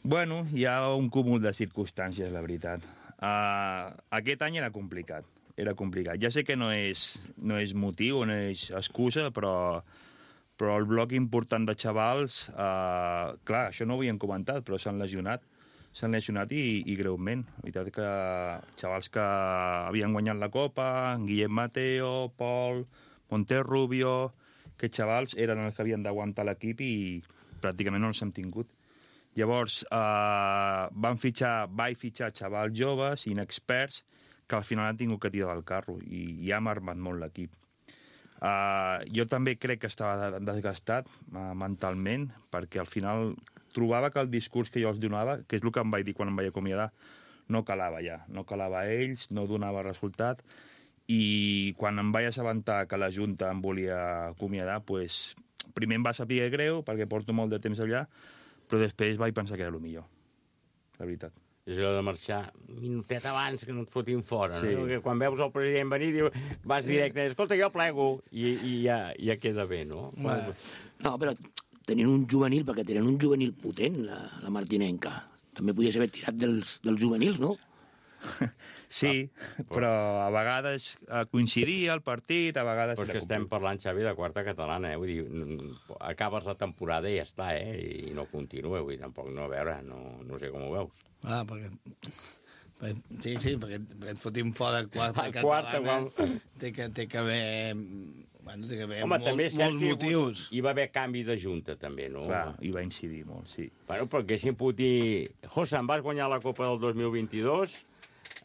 Bueno, hi ha un cúmul de circumstàncies, la veritat. Uh, aquest any era complicat. Era complicat. Ja sé que no és, no és motiu, no és excusa, però, però el bloc important de xavals, uh, clar, això no ho havíem comentat, però s'han lesionat. S'han lesionat i, i greument. La veritat que xavals que havien guanyat la Copa, Guillem Mateo, Pol, Monterrubio, aquests xavals eren els que havien d'aguantar l'equip i pràcticament no els hem tingut. Llavors, eh, van fitxar, vaig fitxar xavals joves, inexperts, que al final han tingut que tirar del carro i, i ha marmat molt l'equip. Uh, jo també crec que estava desgastat uh, mentalment, perquè al final trobava que el discurs que jo els donava, que és el que em vaig dir quan em vaig acomiadar, no calava ja, no calava a ells, no donava resultat, i quan em vaig assabentar que la Junta em volia acomiadar, pues, primer em va saber greu, perquè porto molt de temps allà, però després vaig pensar que era el millor, la veritat. És allò de marxar un minutet abans que no et fotin fora, Sí. no? Que quan veus el president venir, diu, vas directe, escolta, jo plego, i, i ja, ja queda bé, no? Bueno. No, però tenien un juvenil, perquè tenen un juvenil potent, la, la Martinenca. També podies haver tirat dels, dels juvenils, no? Sí, però a vegades eh, coincidia el partit, a vegades... Però és que estem parlant, Xavi, de quarta catalana, eh? Vull dir, mm, acabes la temporada i ja està, eh? I no continua, vull dir, tampoc, no, a veure, no, no sé com ho veus. Ah, perquè... perquè- Sí, sí, perquè, perquè et fotim fora quarta A quarta, catalana. quan- Té que, té que haver... Bueno, té que haver Home, molt, també és cert molts que hi ha hagut- motius. hi va haver canvi de junta, també, no? Clar, hi va incidir molt, sí. Bueno, però haguéssim pogut dir... José, em vas guanyar la Copa del dos mil vint-i-dos,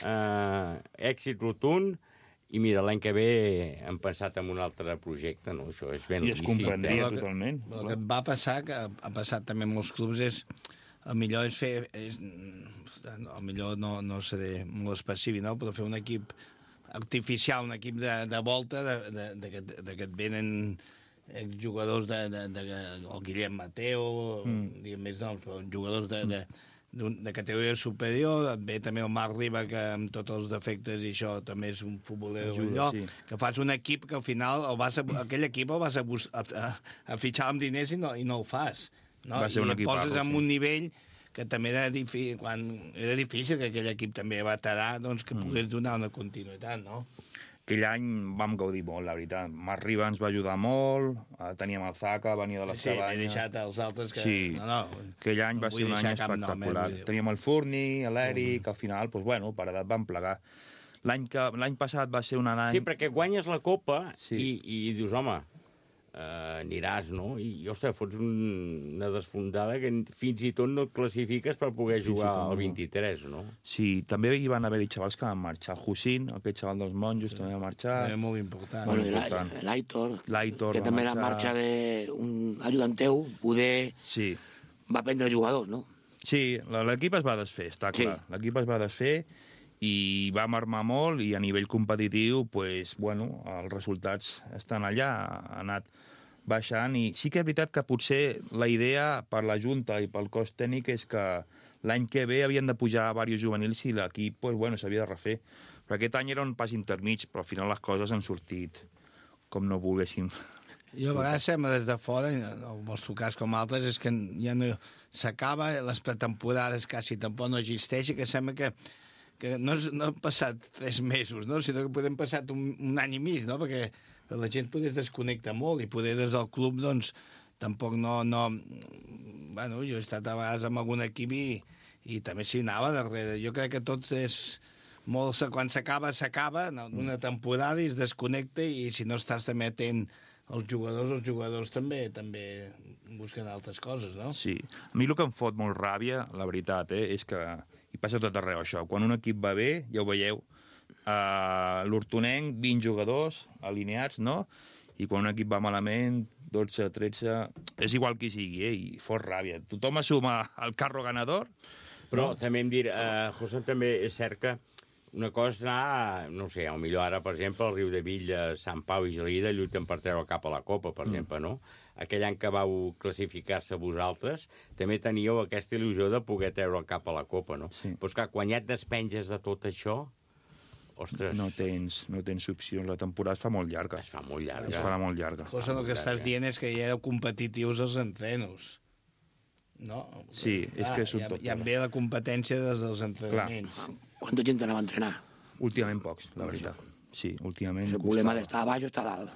eh, èxit rotund, i mira, l'any que ve hem pensat en un altre projecte, no? Això és ben I es lícit, comprendria eh? totalment. El que et va passar, que ha passat també en molts clubs, és el millor és fer... És, el millor no, no seré molt específic, no? Però fer un equip artificial, un equip de, de volta, de, de, de, que, de que et venen jugadors de, de, de, de el Guillem Mateo, mm. diguem més noms, però jugadors de, de, de, de categoria superior, et ve també el Marc Riba, que amb tots els defectes i això també és un futboler d'un lloc, sí. que fas un equip que al final el vas a, aquell equip el vas a, bus, a, a, a fitxar amb diners i no, i no ho fas. No? Va ser un I et equiparro, poses en sí. un nivell que també era difícil, quan era difícil que aquell equip també veterà, doncs que Mm. pogués donar una continuïtat, no? Aquell any vam gaudir molt, la veritat. Marc Riba ens va ajudar molt, eh, teníem el Zaka, venia de les Sí, m'he cabanyes... deixat els altres que... Sí, No, no, aquell any no va vull ser un any deixar cap nom, eh, espectacular. vull dir. Teníem el Furni, l'Eric, mm. al final, doncs, bueno, per edat vam plegar. L'any que l'any passat va ser un any... Sí, perquè guanyes la Copa Sí. i, i dius, home, eh, aniràs, no? I, ostres, fots un, una desfondada que fins i tot no et classifiques per poder Fins i jugar tot al no. vint-i-tres, no? Sí, també hi van haver-hi xavals que van marxar. Hussein, aquest xaval dels monjos, sí. també va marxar. Era molt important. Bueno, i important. la- l'Aitor, L'Aitor que va també la marxar. marxa d'un ajudant teu, poder Sí. va prendre jugadors, no? Sí, la- l'equip es va desfer, està Sí. clar. L'equip es va desfer i va marmar molt i a nivell competitiu, pues, bueno, els resultats estan allà, ha anat baixant i sí que és veritat que potser la idea per la Junta i pel cos tècnic és que l'any que ve havien de pujar diversos juvenils i l'equip pues, bueno, s'havia de refer. Però aquest any era un pas intermig, però al final les coses han sortit com no volguéssim. Jo a vegades sembla des de fora, i en el vostre cas com altres, és que ja no s'acaba, les pretemporades quasi tampoc no existeix, i que sembla que, que no, és, no han passat tres mesos, no? sinó que podem passar un, un any i mig, no? Perquè la gent poder es desconnecta molt i poder des del club, doncs, tampoc no... no... Bueno, jo he estat a vegades amb algun equip i, i també s'hi anava darrere. Jo crec que tot és molt... Quan s'acaba, s'acaba, una temporada i es desconnecta i si no estàs també atent als jugadors, els jugadors també també busquen altres coses, no? Sí. A mi el que em fot molt ràbia, la veritat, eh, és que hi passa tot arreu això. Quan un equip va bé, ja ho veieu, uh, l'Hortonenc, vint jugadors alineats, no? I quan un equip va malament, dotze, tretze... És igual qui sigui, eh? I fot ràbia. Tothom assuma el carro ganador. Però no? També em dir, uh, José, també és cert que una cosa és anar, no sé, potser ara, per exemple, el Riu de Villa, Sant Pau i Gelida lluiten per treure cap a la Copa, per mm. exemple, no? Aquell any que vau classificar-se vosaltres, també teníeu aquesta il·lusió de poder treure el cap a la Copa, no? Sí. Però, esclar, quan ja et despenges de tot això, ostres... No tens, no tens opcions. La temporada es fa molt llarga. Es fa molt llarga. Es farà molt llarga. Cosa, el que estàs dient és que ja éreu competitius als entrenos. No? Sí, és ah, que és un ja, tot. ja ve la competència des dels entrenaments. Quanta gent anava a entrenar? Últimament pocs, la veritat. Sí, últimament... El problema d'estar a baix o estar a dalt.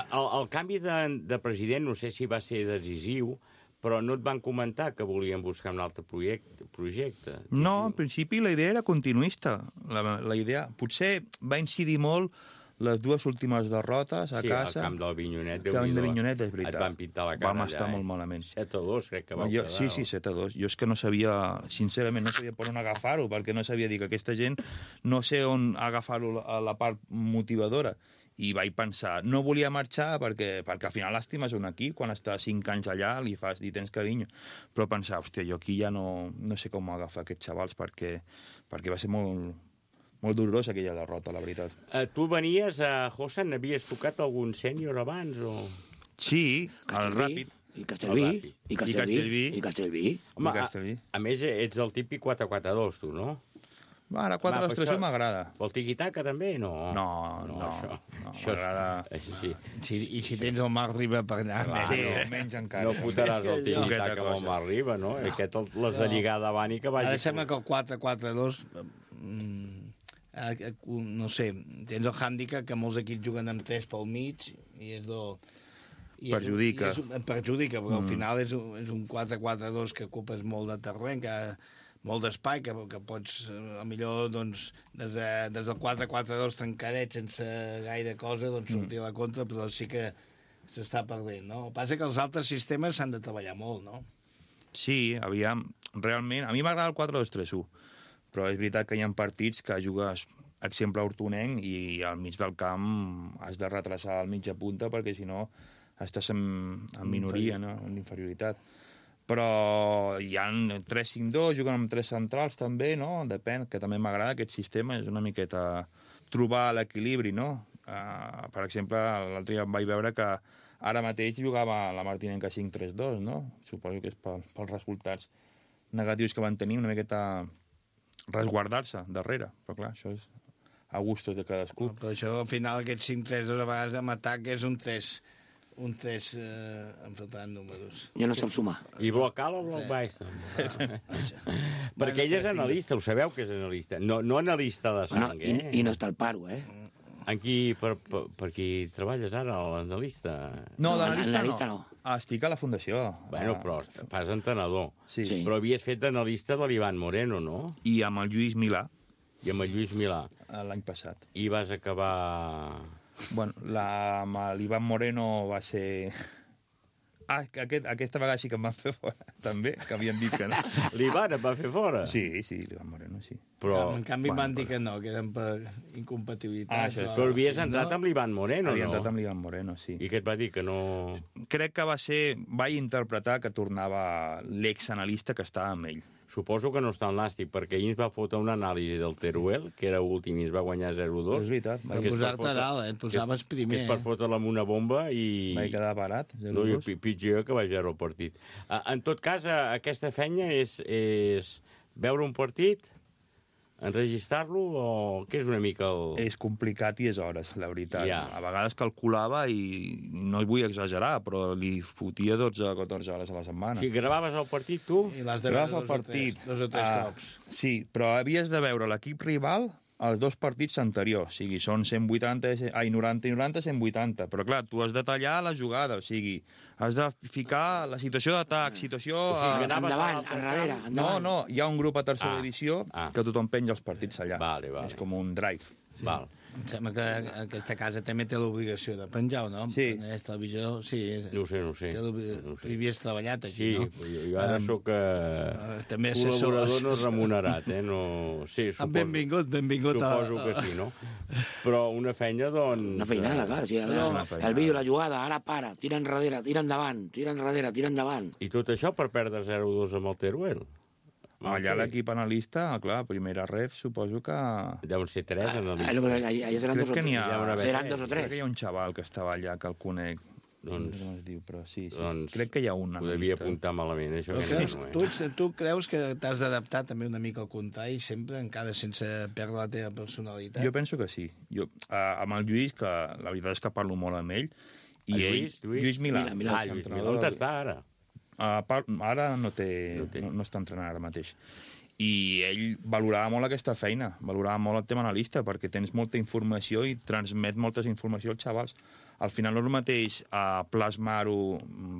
El, el canvi de, de president, no sé si va ser decisiu, però no et van comentar que volien buscar un altre projecte? projecte. No, en principi la idea era continuista. La, la idea... Potser va incidir molt les dues últimes derrotes a sí, casa... Sí, al camp del Vinyonet. El camp del Vinyonet, és veritat. Et van pintar la cara Vam allà, estar eh? molt malament. set a dos, crec que vau jo, quedar. Sí, sí, set a dos. Jo és que no sabia, sincerament, no sabia per on agafar-ho, perquè no sabia dir que aquesta gent no sé on agafar-ho a la part motivadora. I vaig pensar, no volia marxar perquè, perquè al final l'estimes un equip, quan estàs cinc anys allà li fas dir tens carinyo, però pensar, hòstia, jo aquí ja no, no sé com agafar aquests xavals perquè, perquè va ser molt, molt dolorosa aquella derrota, la veritat. Uh, tu venies a José, n'havies tocat algun sènior abans? O... Sí, Castellví, el Ràpid. I Castellví, i Castellví, i Castellví. Home, I Castellví. A, a més, ets el típic quatre quatre dos, tu, no? Ara, quatre dos tres m'agrada. Pel tiqui-taca, també? No, no, no, no, això, no això m'agrada... Sí. Si, I si tens el Marc Riba per allà... Clar, sí, no, menys encara. No fotràs el tiqui-taca amb el Marc Riba, no? no. Aquest les de lligar davant i que vagi... Ara sembla que el quatre quatre dos... No sé, tens el hàndicap que molts equips juguen amb tres pel mig i és del... I perjudica. És, és, perjudica, perquè mm. al final és un, és un quatre quatre dos que ocupes molt de terreny, que molt d'espai, que, que pots, a millor, doncs, des, de, des del quatre quatre dos tancadet sense gaire cosa, doncs sortir a la contra, però sí que s'està perdent, no? El que passa que els altres sistemes s'han de treballar molt, no? Sí, aviam, realment, a mi m'agrada el quatre dos tres u, però és veritat que hi ha partits que jugues, exemple, a Hortonenc, i al mig del camp has de retrasar al mitja punta, perquè si no estàs en, en minoria, no? En inferioritat. Però hi ha tres cinc dos, juguen amb tres centrals també, no? Depèn, que també m'agrada aquest sistema, és una miqueta trobar l'equilibri, no? Uh, per exemple, l'altre dia vaig veure que ara mateix jugava la Martinenca cinc tres dos, no? Suposo que és pel, pels resultats negatius que van tenir, una miqueta resguardar-se darrere, però clar, això és a gustos de cadascú. No, però això, al final, aquest cinc tres dos a vegades amb atac és un tres... un tres eh, em faltaran números. Jo no sap sumar. I bloc alt o bloc baix? Perquè ell és analista, ho sabeu que és analista. No, no analista de sang, bueno, eh? I, I no està al paro, eh? En qui, per, per, per qui treballes ara, l'analista? No, l'analista no. no. Ah, estic a la fundació. Bueno, però fas entrenador. Sí. sí. Però havies fet d'analista de l'Ivan Moreno, no? I amb el Lluís Milà. I amb el Lluís Milà. L'any passat. I vas acabar... Bueno, la, amb l'Ivan Moreno va ser... Ah, aquest, aquesta vegada sí que em van fer fora, també, que havien dit que no. L'Ivan et va fer fora? Sí, sí, l'Ivan Moreno, sí. Però... En canvi bueno, van dir que no, que eren per incompatibilitat. Ah, això és, però havies entrat no? amb l'Ivan Moreno, Havia no? entrat amb l'Ivan Moreno, sí. I què et va dir, que no... Crec que va ser... Vaig interpretar que tornava l'exanalista que estava amb ell. Suposo que no està en l'àstic, perquè ahir ens va fotre una anàlisi del Teruel, que era últim i ens va guanyar zero dos. És veritat. Per posar-te a dalt, eh? Et posaves primer. Que és per fotre-la amb una bomba i... Vaig quedar parat, zero dos. No, pitjor que vaig veure el partit. En tot cas, aquesta feina és, és veure un partit, enregistrar-lo, o què és una mica el... És complicat i és hores, la veritat. Ja. A vegades calculava i no hi vull exagerar, però li fotia dotze o catorze hores a la setmana. Si gravaves el partit, tu? I l'has de veure dos, partit, dos o tres ah, cops. Sí, però havies de veure l'equip rival els dos partits anteriors, o sigui, són cent vuitanta, ai, noranta i noranta, cent vuitanta, però clar, tu has de tallar la jugada, o sigui, has de ficar la situació d'atac, situació... O sigui, endavant, enrere, endavant. No, no, hi ha un grup a tercera Ah, divisió ah. que tothom penja els partits allà. Vale, vale. És com un drive. Sí. Val. Em sembla que aquesta casa també té l'obligació de penjar, o no? Sí. En aquesta televisió, sí. No ho sé, no ho sé. Té l'obli- No ho sé. Tu hi havies treballat aquí, Sí, no? jo, jo ara Em, sóc eh, també assessor- col·laborador no remunerat, eh? No... Sí, suposo, Benvingut, benvingut a- Suposo que sí, no? Però una feina, doncs... Una feinada, clar. Sí, No, una el feinada. vídeo, la jugada, ara para, tira enrere, tira endavant, tira enrere, tira endavant. I tot això per perdre zero dos amb el Teruel? Allà l'equip analista, clar, primera ref, suposo que... Deuen ser tres analistes. Ah, lo que- allà- allà seran Crec dos o que n'hi ha... tres. haurà Seran tres. dos o tres. Crec que hi ha un xaval que estava allà, que el conec. Doncs- No sé com es diu, però sí, sí. Doncs Crec que hi ha un Ho analista. devia apuntar malament, això. Però Que creus, no, eh? tu, ets- tu creus que t'has d'adaptar també una mica al contrari, sempre, encara sense perdre la teva personalitat? Jo penso que sí. Jo, uh, amb el Lluís, que la veritat és que parlo molt amb ell, i El ell... Lluís? Lluís? Lluís Milà. Milà, Milà. Ah, Lluís Milà. On està ara? Uh, par... Ara no, té... No té. No, no està entrenant ara mateix. I ell valorava molt aquesta feina, valorava molt el tema analista, perquè tens molta informació i transmet moltes informació als xavals. Al final no és el mateix a plasmar-ho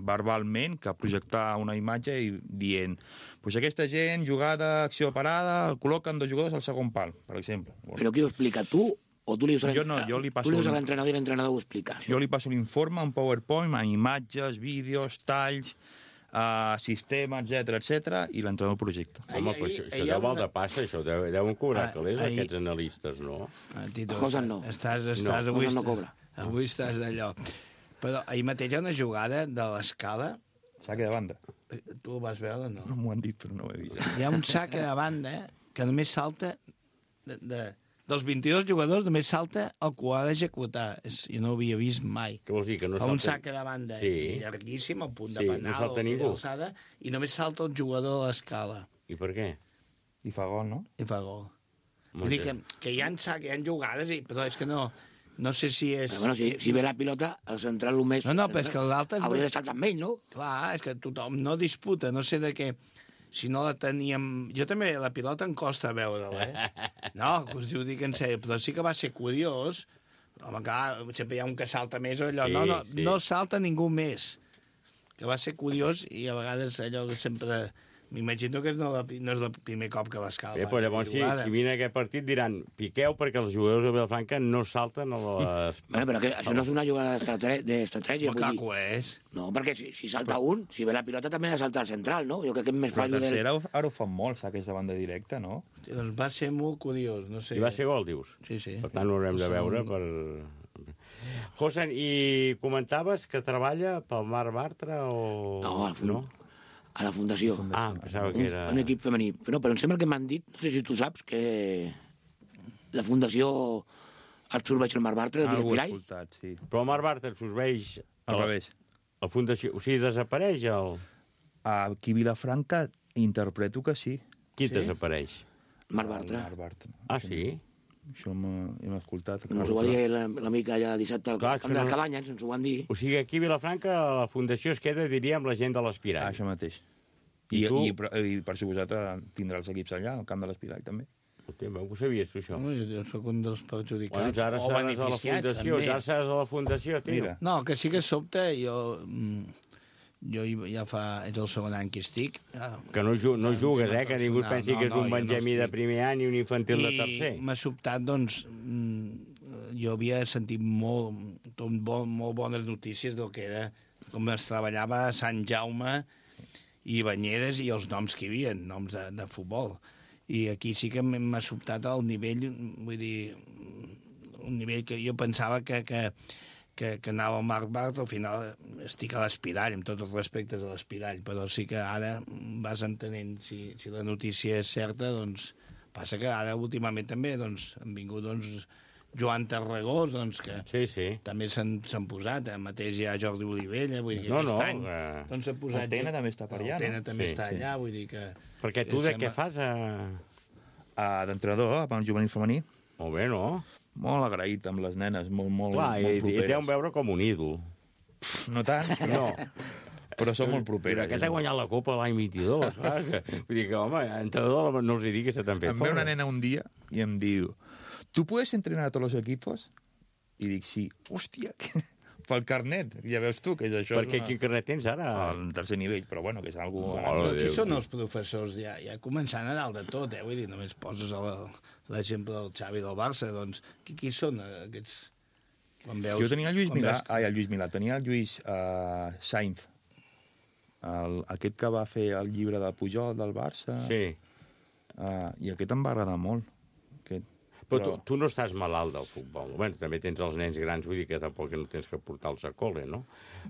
verbalment que projectar una imatge i dient pues aquesta gent, jugada, acció parada, col·loquen dos jugadors al segon pal, per exemple. Però qui ho explica, tu o tu li dius a Jo no, jo li passo tu li dius a un- l'entrenador i l'entrenador ho explica? Jo li passo l'informe en PowerPoint, amb imatges, vídeos, talls, uh, sistema, etcètera, etcètera, i l'entrenador projecta. Home, però això, això deu val de passa, això deu, deuen cobrar Ah, calés, ahir- aquests analistes, no? Ah, Tito, Josan no. Estàs, estàs, No, avui, Josan no estàs- cobra. Avui estàs d'allò. Però ahir mateix hi ha una jugada de l'escala. Saque de banda. Tu el vas veure, no? No m'ho han dit, però no ho he vist. Hi ha un saque de banda que només salta... De, de, dels vint-i-dos jugadors només salta el que ho ha d'executar. És- Jo no ho havia vist mai. Què vols dir, que no Fa un salta- saque de banda Sí. llarguíssim, al punt Sí, de no penal, salta o ningú. alçada, i només salta el jugador a l'escala. I per què? I fa gol, no? I fa gol. Molt Vull dir bé. que, que hi ha, sac, hi ha jugades, i, però és que no... No sé si és... Però, bueno, si, si ve la pilota, el central el més... No, no, però és que l'altre... Hauria d'estar amb ell, no? Clar, és que tothom no disputa, no sé de què... Si no la teníem... Jo també, la pilota em costa veure-la, eh? No, que us ho dic en sèrio, però sí que va ser curiós. Home, clar, sempre hi ha un que salta més o allò. Sí, no, no, sí. no salta ningú més. Que va ser curiós i a vegades allò que sempre... M'imagino que no, no és el primer cop que l'escala. Bé, però llavors, si, si vine aquest partit, diran piqueu perquè els jugadors de Vilafranca no salten a les... Bueno, però que això no és una jugada d'estrate- d'estratègia. Com vull clar dir. que ho és. No, perquè si, si salta un, si ve la pilota també ha de saltar el central, no? Jo crec que és més Però fallo del... tercera ara ho fan molt, saques de banda directa, no? Doncs va ser molt curiós, no sé. I va ser gol, dius? Sí, sí. Per tant, ho haurem de Som- veure per... Josan, i comentaves que treballa pel Marc Bartra o... No, a la, fun... no? a la Fundació. Ah, pensava que era... Un, un equip femení. Però, però em sembla que m'han dit, no sé si tu saps, que la Fundació absorbeix el Marc Bartra Ah, del ho he Pirall. escoltat, sí. Però el Marc Bartra absorbeix... Al revés. La Fundació... O sigui, desapareix el... Aquí a Vilafranca interpreto que sí. Qui desapareix? Marc Bartra. Marc Bartra. Ah, sí? Això m'ho- hem escoltat. Ens ho va dir la- l'amic allà dissabte al Clar, és camp que de les no- Cabanyes, ens ho van dir. O sigui, aquí a Vilafranca la Fundació es queda, diríem, la gent de l'Espirall. Ah, això mateix. I I, tu? i, per- i, per suposat, tindrà els equips allà, al camp de l'Espirall, també. Hòstia, ho sabies, tu, això? No, jo, jo sóc un dels perjudicats. Bueno, ja ara o seràs de la beneficiats, Fundació, també. ja seràs de la Fundació, tio. Mira. No, que sí que sobte, jo... mm, Jo hi- ja fa... És el segon any que estic. Ja, Que no, ju no jugues, eh? Que ningú et pensi no, que és no, un jo no Benjamí de estic. primer any i un infantil de I tercer. m'ha sobtat, doncs, mm, jo havia sentit molt, tot bon, molt bones notícies del que era, com es treballava a Sant Jaume i Banyeres i els noms que hi havia, noms de, de futbol. I aquí sí que m'ha sobtat el nivell, vull dir, un nivell que jo pensava que, que, que, que anava al Marc Bartra, al final estic a l'Espirall, amb tots els respectes a l'Espirall, però sí que ara vas entenent si, si la notícia és certa, doncs passa que ara últimament també doncs, han vingut doncs, Joan Tarragós, doncs, que sí, sí. també s'han posat, eh? Mateix hi ha Jordi Olivella, vull dir que No, aquest no, any eh, doncs s'ha posat... el Tena també està per allà, El Tena no? també Sí, està sí. allà, vull dir que... Perquè tu em de sembla- què fas? A... Uh, D'entrenador, amb el juvenil femení. Molt bé, no? Molt agraït amb les nenes, molt, molt, Clar, molt i, i properes. deuen veure com un ídol. No tant, No. però són molt Però properes. aquest ha guanyat la Copa l'any vint-i-dos. Clar, que, vull dir que, home, entrenador no els hi dic que se t'han fet Em ve fora. una nena un dia i em diu ¿tú puedes entrenar a tots els equipos? I dic, sí. Hòstia, pel carnet, ja veus tu que és això. Per què? Quin carnet tens ara? Al tercer nivell, però bueno, que és algo... Aquí són els professors, ja, ja començant a dalt de tot, eh? Vull dir, només poses l'exemple del Xavi del Barça, doncs, qui, qui són aquests... Quan veus, jo tenia el Lluís Milà, veus... ai, el Lluís Milà, tenia el Lluís uh, Sainz, el, aquest que va fer el llibre de Pujol del Barça. Sí. Uh, I aquest em va agradar molt. Aquest. Però, però... Tu, tu no estàs malalt del futbol. Bueno, també tens els nens grans, vull dir que tampoc no tens que portar-los a col·le, no?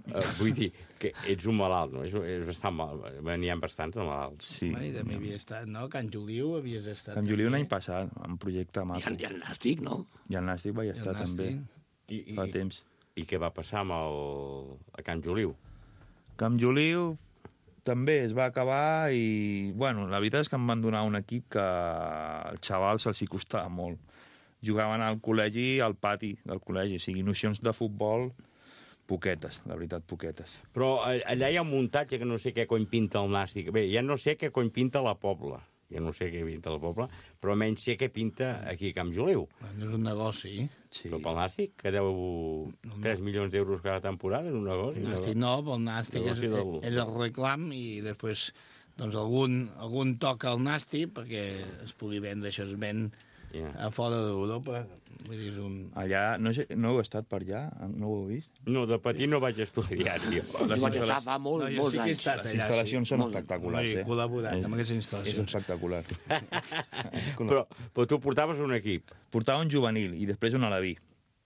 Uh, vull dir que ets un malalt, no? És, és bastant mal... N'hi ha bastants de malalts. Sí. I també havia estat, no? Can Juliu havies estat... Can Juliu l'any passat, en projecte maco. I el Nàstic, no? I el Nàstic vaig estar també, I, i, fa temps. I què va passar amb el... a Can Juliu? Camp Juliu també es va acabar i, bueno, la veritat és que em van donar un equip que al xaval se'ls hi costava molt. Jugaven al col·legi, al pati del col·legi, o sigui, nocions de futbol, poquetes, la veritat, poquetes. Però allà hi ha un muntatge que no sé què cony pinta el Nàstic. Bé, ja no sé què cony pinta la Pobla, ja no sé què pinta la Pobla, però almenys sé què pinta aquí a Camp Juliu. Bueno, és un negoci. Sí. Però pel Nàstic, que deu tres milions d'euros cada temporada, és un negoci. El Nàstic no, pel Nàstic és, del... és el reclam i després doncs, algun, algun toca el Nàstic perquè es pugui vendre, això es ven yeah. a fora d'Europa. Vull dir, és un... Allà, no, sé, no heu estat per allà? No ho heu vist? No, de petit no vaig estudiar, tio. Jo vaig estar fa molt, no, molts anys. Allà, les instal·lacions sí. són espectaculars, no, eh? He col·laborat amb aquestes instal·lacions. És espectacular. però, però tu portaves un equip? Portava un juvenil i després un alaví.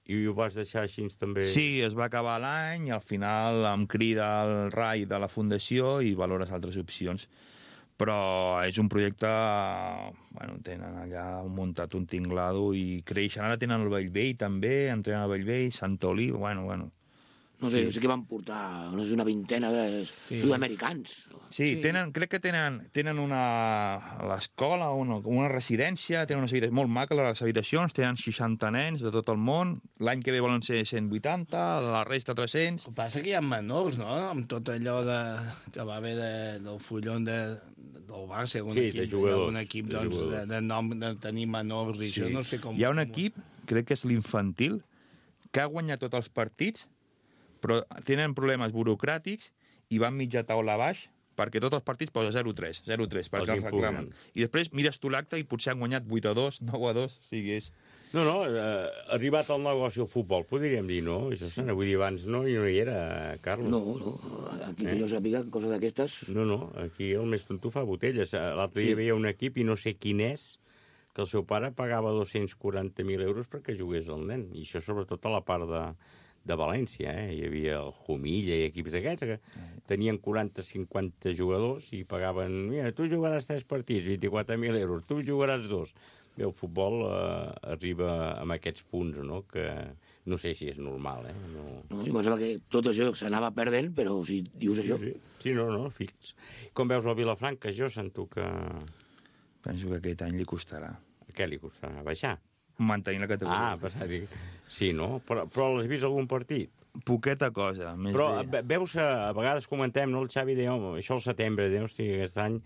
I ho vas deixar així també? Sí, es va acabar l'any i al final em crida el rai de la fundació i valores altres opcions. Però és un projecte... Bueno, tenen allà muntat un tinglado i creixen. Ara tenen el Bellvei també, entrenen al Bellvei, Sant Oliu, bueno, bueno. No sé, sí. sé que van portar no sé, una vintena de sí. sud-americans. Sí, sí. Tenen, crec que tenen, tenen una... a l'escola, una, una residència, tenen unes habitacions molt maques, les habitacions, tenen seixanta nens de tot el món, l'any que ve volen ser cent vuitanta, la resta tres-cents... El que passa que hi ha menors, no?, amb tot allò de, que va haver de, del fullon de, del Barça, un sí, equip, de jugadors, un equip de, doncs, de, de, nom, de tenir menors i sí. això no sé com... Hi ha un equip, crec que és l'infantil, que ha guanyat tots els partits, però tenen problemes burocràtics i van mitja taula baix perquè tots els partits posa zero tres, zero tres, perquè els reclamen. I després mires tu l'acte i potser han guanyat vuit a dos, nou a dos, o sigui, és... No, no, eh, arribat al negoci al futbol, podríem dir, no? Això se n'ha vull dir abans, no, i no hi era, Carlos. No, no, aquí eh? que jo sàpiga coses d'aquestes... No, no, aquí el més tonto fa botelles. L'altre dia sí. veia un equip i no sé quin és, que el seu pare pagava dos-cents quaranta mil euros perquè jugués el nen, i això sobretot a la part de... de València, eh? Hi havia el Jumilla i equips d'aquests que tenien quaranta cinquanta jugadors i pagaven, mira, tu jugaràs tres partits, vint-i-quatre mil euros, tu jugaràs dos. Bé, el futbol eh, arriba amb aquests punts, no?, que no sé si és normal, eh? No, no jo pensava que tot això s'anava perdent, però si dius això... Sí, sí. sí no, no, fix. Com veus el Vilafranca, jo sento que... Penso que aquest any li costarà. Què li costarà? Baixar? Mantenir la categoria. Ah, passar, dic... Sí, no? Però, però l'has vist algun partit? Poqueta cosa. Més però bé. Veus, a vegades comentem, no? El Xavi deia, home, això al setembre, deus, hosti, aquest any,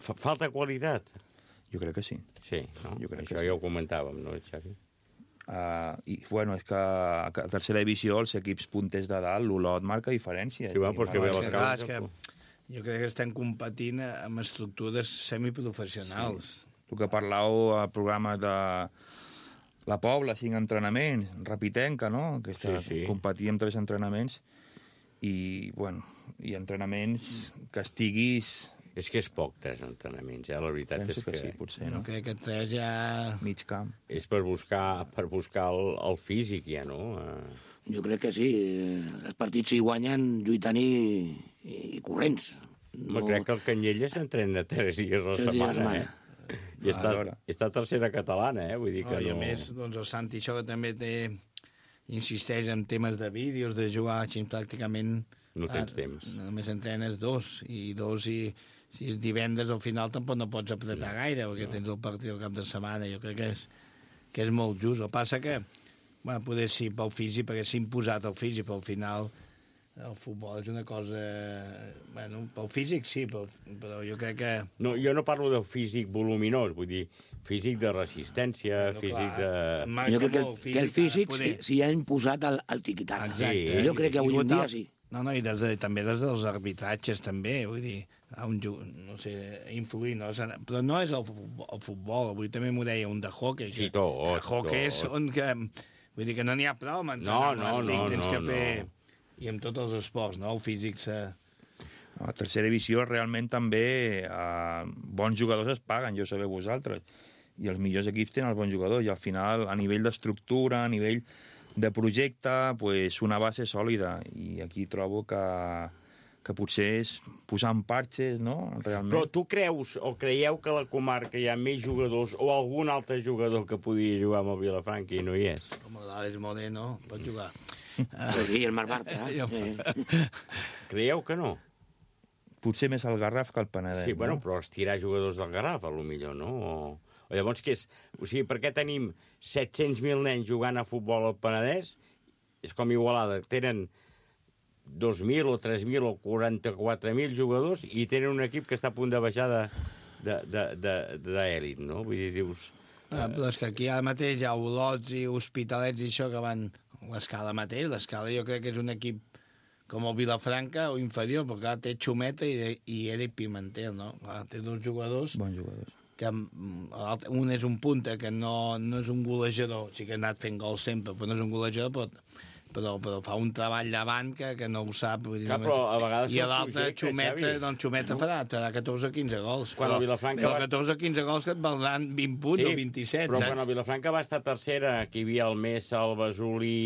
fa, falta qualitat. Jo crec que sí. Sí, no? Jo crec això que ja sí. ho comentàvem, no, Xavi? Uh, I, bueno, és que a tercera divisió els equips punters de dalt, l'Olot marca diferència. Sí, bueno, doncs que ve les cases... Que... Jo crec que estem competint amb estructures semiprofessionals. Sí. El que parlàveu al programa de la Pobla, cinc entrenaments, Rapitenca, no?, que està, sí, sí. competir amb tres entrenaments i, bueno, i entrenaments que estiguis... És que és poc, tres entrenaments, eh? La veritat Penso és que... que sí, potser, no? no? Crec que tres ja... Mig camp. És per buscar, per buscar el, el físic, ja, no? Jo crec que sí. Els partits s'hi guanyen lluitant i, i, i corrents. No... Crec que el Canyelles s'entrena tres dies a la setmana, setmana, eh? I està, està tercera catalana, eh? Vull dir que no, no... I a més, doncs, el Santi això que també té, insisteix en temes de vídeos, de jugar així pràcticament... No tens a, temps. Només entrenes dos, i dos, i si és divendres al final tampoc no pots apretar no, gaire, perquè no. tens el partit al cap de setmana. Jo crec que és, que és molt just. El que passa que, bueno, poder sí pel físic, perquè s'ha imposat el físic, però al final el futbol és una cosa... Bueno, pel físic sí, però, però jo crec que... No, jo no parlo del físic voluminós, vull dir, físic de resistència, bueno, físic clar, de... Jo crec que el, que el físic s'hi sí, ha imposat al, al tiquitac. Exacte. Jo crec que avui en dia sí. No, no, i des de, també des dels arbitratges, també, vull dir, un, no sé, influir, no? Però no és el, el futbol, avui també m'ho deia un de hockey. Sí, tot, que hockey tot. són que... Vull dir que no n'hi ha prou amb No, entrenar no, l'estic, no, tens no, que fer... no. I amb tots els esports, no? El físic se... A tercera divisió realment també eh, bons jugadors es paguen, ja ho sabeu vosaltres, i els millors equips tenen els bons jugadors, i al final, a nivell d'estructura, a nivell de projecte, pues, una base sòlida, i aquí trobo que, que potser és posar en parxes, no?, realment. Però tu creus o creieu que a la comarca hi ha més jugadors o algun altre jugador que podria jugar amb el Vilafranca i no hi és? Com l'Àlex Moreno pot jugar. Pues sí, el Marc Bartra. Eh? Creieu que no? Potser més el Garraf que el Penedès. Sí, bueno, no? però estirar jugadors del Garraf, a lo millor, no? O, o llavors què és? O sigui, per què tenim set-cents mil nens jugant a futbol al Penedès? És com Igualada, tenen dos mil o tres mil o quaranta-quatre mil jugadors i tenen un equip que està a punt de baixar d'èlit, no? Vull dir, dius... Ah, però és que aquí ara mateix hi ha Olots i Hospitalets i això que van... L'Escala mateix, l'Escala jo crec que és un equip com el Vilafranca o inferior, perquè ara té Xumeta i, i Eric Pimentel, no? Clar, té dos jugadors... Bons jugadors. Que un és un punta, que no, no és un golejador, sí que ha anat fent gols sempre, però no és un golejador, però, però, però fa un treball davant que, que no ho sap. Vull dir, Clar, però a vegades I l'altre, Xumeta, Xavi. doncs Xumeta No. farà, farà catorze o quinze gols. Quan però, el Vilafranca però va- catorze o quinze gols que et valdran vint punts Sí, o vint-i-set, però saps? quan el Vilafranca va estar tercera, que hi havia el Messa, el Basolí,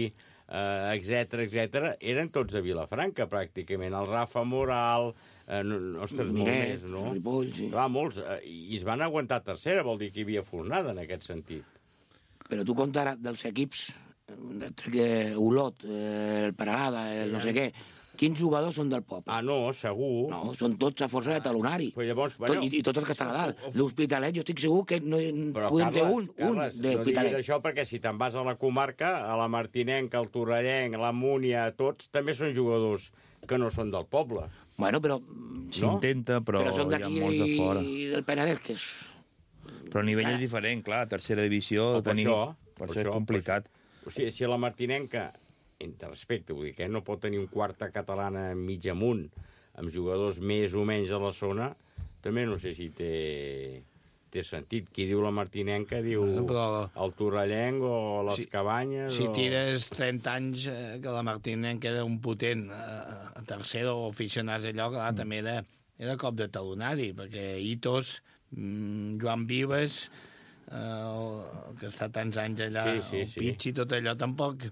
eh, etcètera, etcètera, eren tots de Vilafranca, pràcticament. El Rafa Moral, eh, no, ostres, molt Miret, més, no? Ripoll, sí. Clar, molts, eh, i es van aguantar tercera, vol dir que hi havia fornada en aquest sentit. Però tu compta ara dels equips, eh, que Olot, eh, el Paralada, el no sé què, quins jugadors són del poble? Ah, no, segur. No, són tots a força de talonari. Però llavors, Tot, bueno, i, I tots els que estan a dalt. L'Hospitalet, jo estic segur que no, Però, podem Carles, ter un, Carles, un no diguis d'Hospitalet. això perquè si te'n vas a la comarca, a la Martinenca, al Torrellenc, a la Múnia, tots també són jugadors que no són del poble. Bueno, però... S'intenta, però, però són hi ha d'aquí molts de fora. i del Penedès, que és... Però el nivell és diferent, clar, tercera divisió... O per tenim... això, per per això és això, complicat. O sigui, si a la Martinenca, entre respecte, vull dir que no pot tenir un quarta catalana mig amunt, amb jugadors més o menys a la zona, també no sé si té, té sentit. Qui diu la Martinenca diu Bueno, però- el Torrellenc o les Si- Cabanyes Si o... tires trenta anys eh, que la Martinenca era un potent eh, a tercera o aficionats allò, clar, mm. també era, era cop de talonari, perquè Itos, mm, Joan Vives, eh, el, que està tants anys allà, Sí, sí, el sí. Pichi, tot allò, tampoc,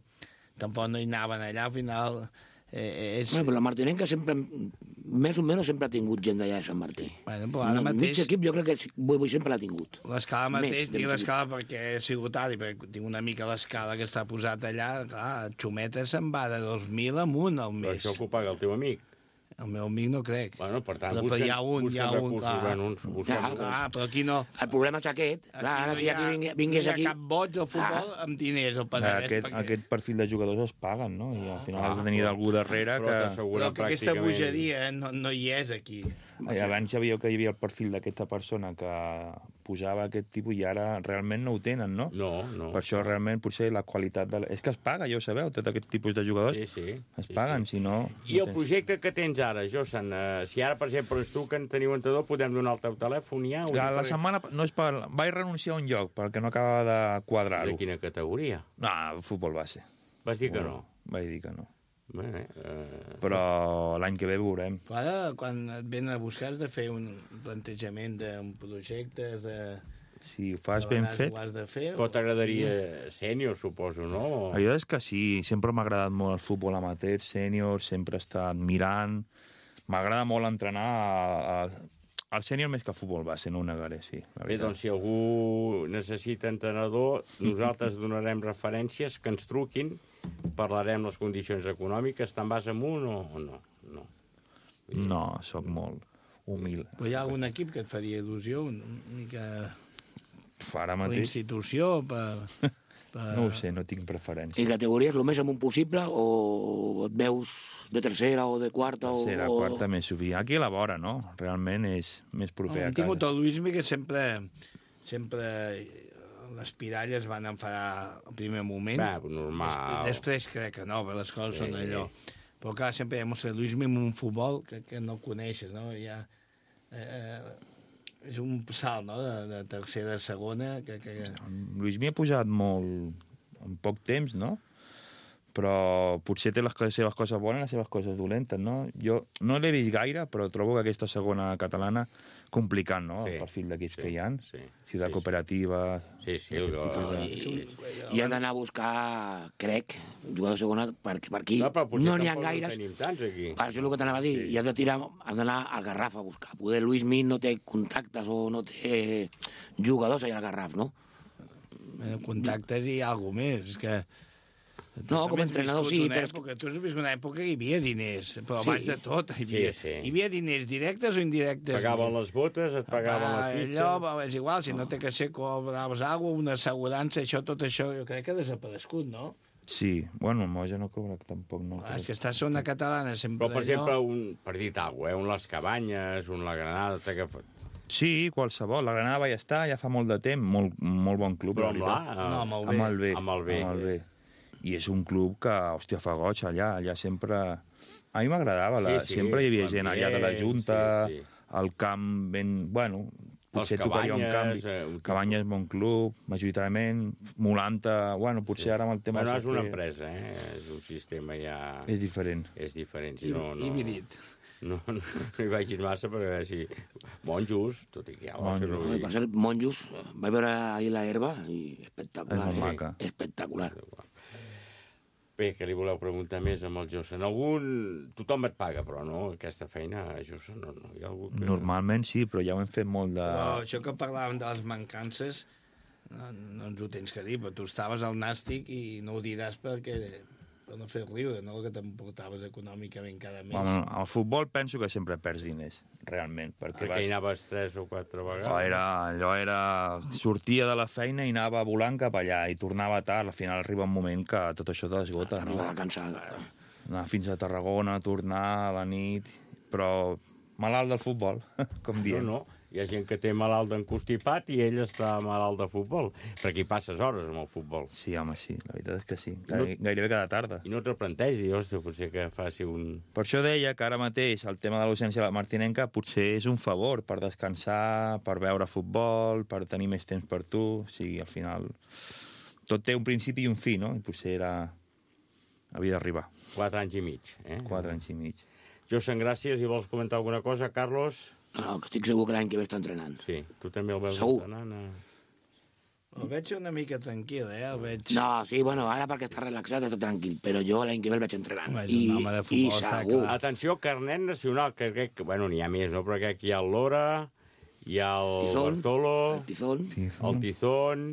tampoc no hi anaven allà, al final... Eh, és... Bueno, però la Martinenca sempre, més o menys, sempre ha tingut gent d'allà de Sant Martí. Bueno, però ara No, mateix... Mig equip jo crec que sí, vull, vull sempre l'ha tingut. L'escala Més, mateix, ben dic dit. l'escala perquè he sigut alt i perquè tinc una mica l'escala que està posat allà, clar, Xumeta se'n va de dos mil amunt al Però mes. això que ho paga el teu amic. El meu amic no crec. Bueno, per tant, Però, però busquen, hi ha un, hi ha busquen un, recursos, clar. bueno, uns, busquen Clar, recursos. Ah, però aquí no. El problema és aquest. Clar, ara si aquí vingués, vingués no hi aquí... ha cap boig al futbol Ah. amb diners al Penedès. Aquest, perquè... aquest perfil de jugadors es paguen, no? I al final clar, has de tenir però- algú darrere però que... t'assegura Però que aquesta pràcticament- bogeria no, no hi és aquí. I abans ja veieu que hi havia el perfil d'aquesta persona que posava aquest tipus i ara realment no ho tenen, no? No, no. Per això realment potser la qualitat de... La... És que es paga, ja ho sabeu, tot aquest tipus de jugadors Sí, sí. es sí, paguen, sí. si no... I no el tens. projecte que tens ara, Josan, eh, si ara, per exemple, és tu que en teniu entrenador, podem donar el teu telèfon ja? O La, dic la perquè- setmana... No és per... Vaig renunciar a un lloc perquè no acabava de quadrar-ho. De quina categoria? No, futbol base. Vas dir que no? Vaig dir que no. Bé, eh... Però l'any que ve veurem. Però ara, quan et venen a buscar, has de fer un plantejament d'un projecte, has de... Si ho fas ben treballar, fet... Ho has de fer, Però t'agradaria sènior, suposo, no? La veritat és que sí, sempre m'ha agradat molt el futbol amateur, sènior, sempre he estat mirant. M'agrada molt entrenar a, a, al sènior més que a futbol base, no ho negaré, sí. la Bé, veritat. doncs si algú necessita entrenador, nosaltres donarem referències, que ens truquin, parlarem les condicions econòmiques, te'n vas amunt o, o no? No. No, sóc molt humil. Però hi ha algun equip que et faria il·lusió, una mica... Pf, Ara Per mateix... l'institució, per... Per... No ho sé, no tinc preferència. I categories, el més amunt possible, o et veus de tercera o de quarta? Tercera, o... quarta, més sovint. Aquí a la vora, no? Realment és més proper no, a hem casa. tingut el Luismi que sempre, sempre les piralles van enfadar al primer moment. Va, normal. Després, després crec que no, perquè les coses Sí. són allò. Però clar, sempre hi ha mostrat Luismi en un futbol que, que no coneixes, no? Ja, eh, és un salt, no?, de, de tercera a segona. Que, que... Luismi ha pujat molt en poc temps, no? Però potser té les seves coses bones i les seves coses dolentes, no? Jo no l'he vist gaire, però trobo que aquesta segona catalana complicat, no?, Sí, el perfil d'equips sí, que hi ha. sí, Ciutat sí, Cooperativa... Sí, sí, aquest jo- tipus de... I, i han d'anar a buscar, crec, jugador de segona, perquè per aquí No, però potser no n'hi ha tampoc gaires. en tenim tants, aquí. Per això és el que t'anava a dir. Sí. I has de tirar, has d'anar al Garraf a buscar. Poder Luis Min no té contactes o no té jugadors allà al Garraf, no? Eh, contactes i alguna més. És que... No, com a entrenador sí, però... però... és Època, tu has viscut una època que hi havia diners, però Sí. abans de tot hi havia, Sí, sí. hi havia diners directes o indirectes. Pagaven les botes, et pagaven la fitxa... Allò, va, és igual, si no té que ser cobraves alguna cosa, una assegurança, això, tot això, jo crec que ha desaparegut, no? Sí, bueno, el Moja no cobra tampoc, no. Ah, és que està a una catalana sempre Però, per allò. exemple, un, per dir alguna cosa, eh, un Les Cabanyes, un La Granada... t'ha Que... Sí, qualsevol. La Granada va estar ja fa molt de temps, molt, molt bon club. Però la amb veritat. l'A? No, amb el B. Amb el B. Amb el B. Amb el B. I és un club que, hòstia, fa goig allà. Allà sempre... A mi m'agradava. La... Sí, sí, sempre hi havia gent allà de la l'ambient, Junta, sí, sí. el camp ben... Bueno, potser tocaria un Cabanyes, canvi. eh, un tipus- Cabanyes, bon club, majoritàriament. Molanta, bueno, potser Sí. ara amb el tema... Bueno, del és una sorteig empresa, eh? És un sistema ja... És diferent. És diferent. I, Si no, no, híbrid. no, no, no hi vagis massa, però a veure si... Monjos, tot i que ja... Monjos. No, No, per cert, Monjos, vaig veure ahir la herba i espectacular. És molt eh? maca. Espectacular. Bé, que li voleu preguntar més amb el Jossen? Algun... Tothom et paga, però, no? Aquesta feina, Jossen, no, no. Hi ha algú que... Normalment sí, però ja ho hem fet molt de... Però això que parlàvem de les mancances, no, no ens ho tens que dir, però tu estaves al nàstic i no ho diràs perquè per no fer riure, no el que t'emportaves econòmicament cada mes. Bueno, al futbol penso que sempre perds diners, realment. Perquè, Perquè hi anaves tres o quatre vegades. Oh, era, allò era... Sortia de la feina i anava volant cap allà i tornava tard. Al final arriba un moment que tot això t'esgota, no? Arriba cansat. Anar fins a Tarragona, tornar a la nit... Però malalt del futbol, com No, diem. no. Hi ha gent que té malalt d'encostipat i ell està malalt de futbol. Perquè hi passes hores amb el futbol. Sí, home, sí, la veritat és que sí. No- Gairebé cada tarda. I no te'l plantegis, hòstia, potser que faci un... Per això deia que ara mateix el tema de l'ausència de la Martinenca potser és un favor per descansar, per veure futbol, per tenir més temps per tu. O sigui, al final tot té un principi i un fi, no? I potser era... havia d'arribar. Quatre anys i mig, eh? Quatre anys i mig. Jossen, gràcies. I vols comentar alguna cosa, Carlos? No, que estic segur que l'any que ve està entrenant. Sí, tu també el veus Segur. entrenant? Eh? El veig una mica tranquil, eh? El veig... No, sí, bueno, ara perquè està relaxat està tranquil, però jo l'any que ve el veig entrenant. Home, és I, un home de i futbol, està segur. clar. Atenció, carnet nacional, que crec que... Bueno, n'hi ha més, no? Però crec que hi ha el Lora, hi ha el Tizón, Bartolo, el Tizón. el Tizón...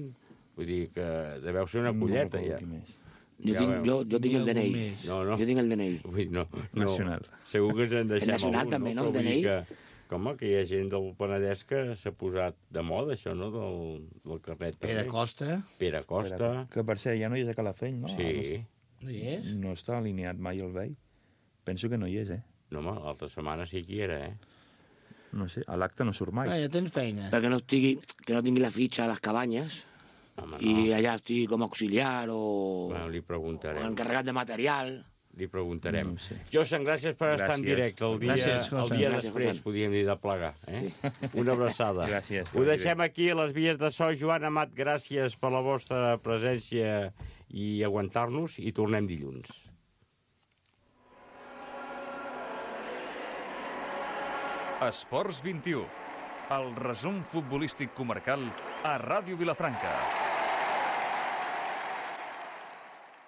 Vull dir que deveu ser una colleta, ja. Jo, Ja tinc, veu. jo, jo tinc el D N I. més. No, no. Jo tinc el D N I. Vull dir, no, no. Nacional. Segur que ens en deixem El nacional algun, també, no? Però El vull D N I? dir Que, com que hi ha gent del Penedès que s'ha posat de moda, això, no?, del, del carnet. Pere també. Costa, Pere Costa. Que per cert, ja no hi és a Calafell, no? Sí. no hi és? No està alineat mai el vell. Penso que no hi és, eh? No, home, l'altra setmana sí que hi era, eh? No sé, a l'acte no surt mai. Ah, ja tens feina. Perquè no, estigui, que no tingui la fitxa a les cabanyes Home, no. i allà estigui com a auxiliar o, Bueno, li o preguntarem. encarregat de material. Li preguntarem. No ho sé. Jossen, gràcies per estar en Gràcies. directe el dia, Gràcies, José. el dia Gràcies, després, José. podríem dir, de plegar. Eh? Una abraçada. Gràcies, Ho deixem aquí a les vies de so. Joan Amat, gràcies per la vostra presència i aguantar-nos, i tornem dilluns. Esports vint i u, el resum futbolístic comarcal a Ràdio Vilafranca.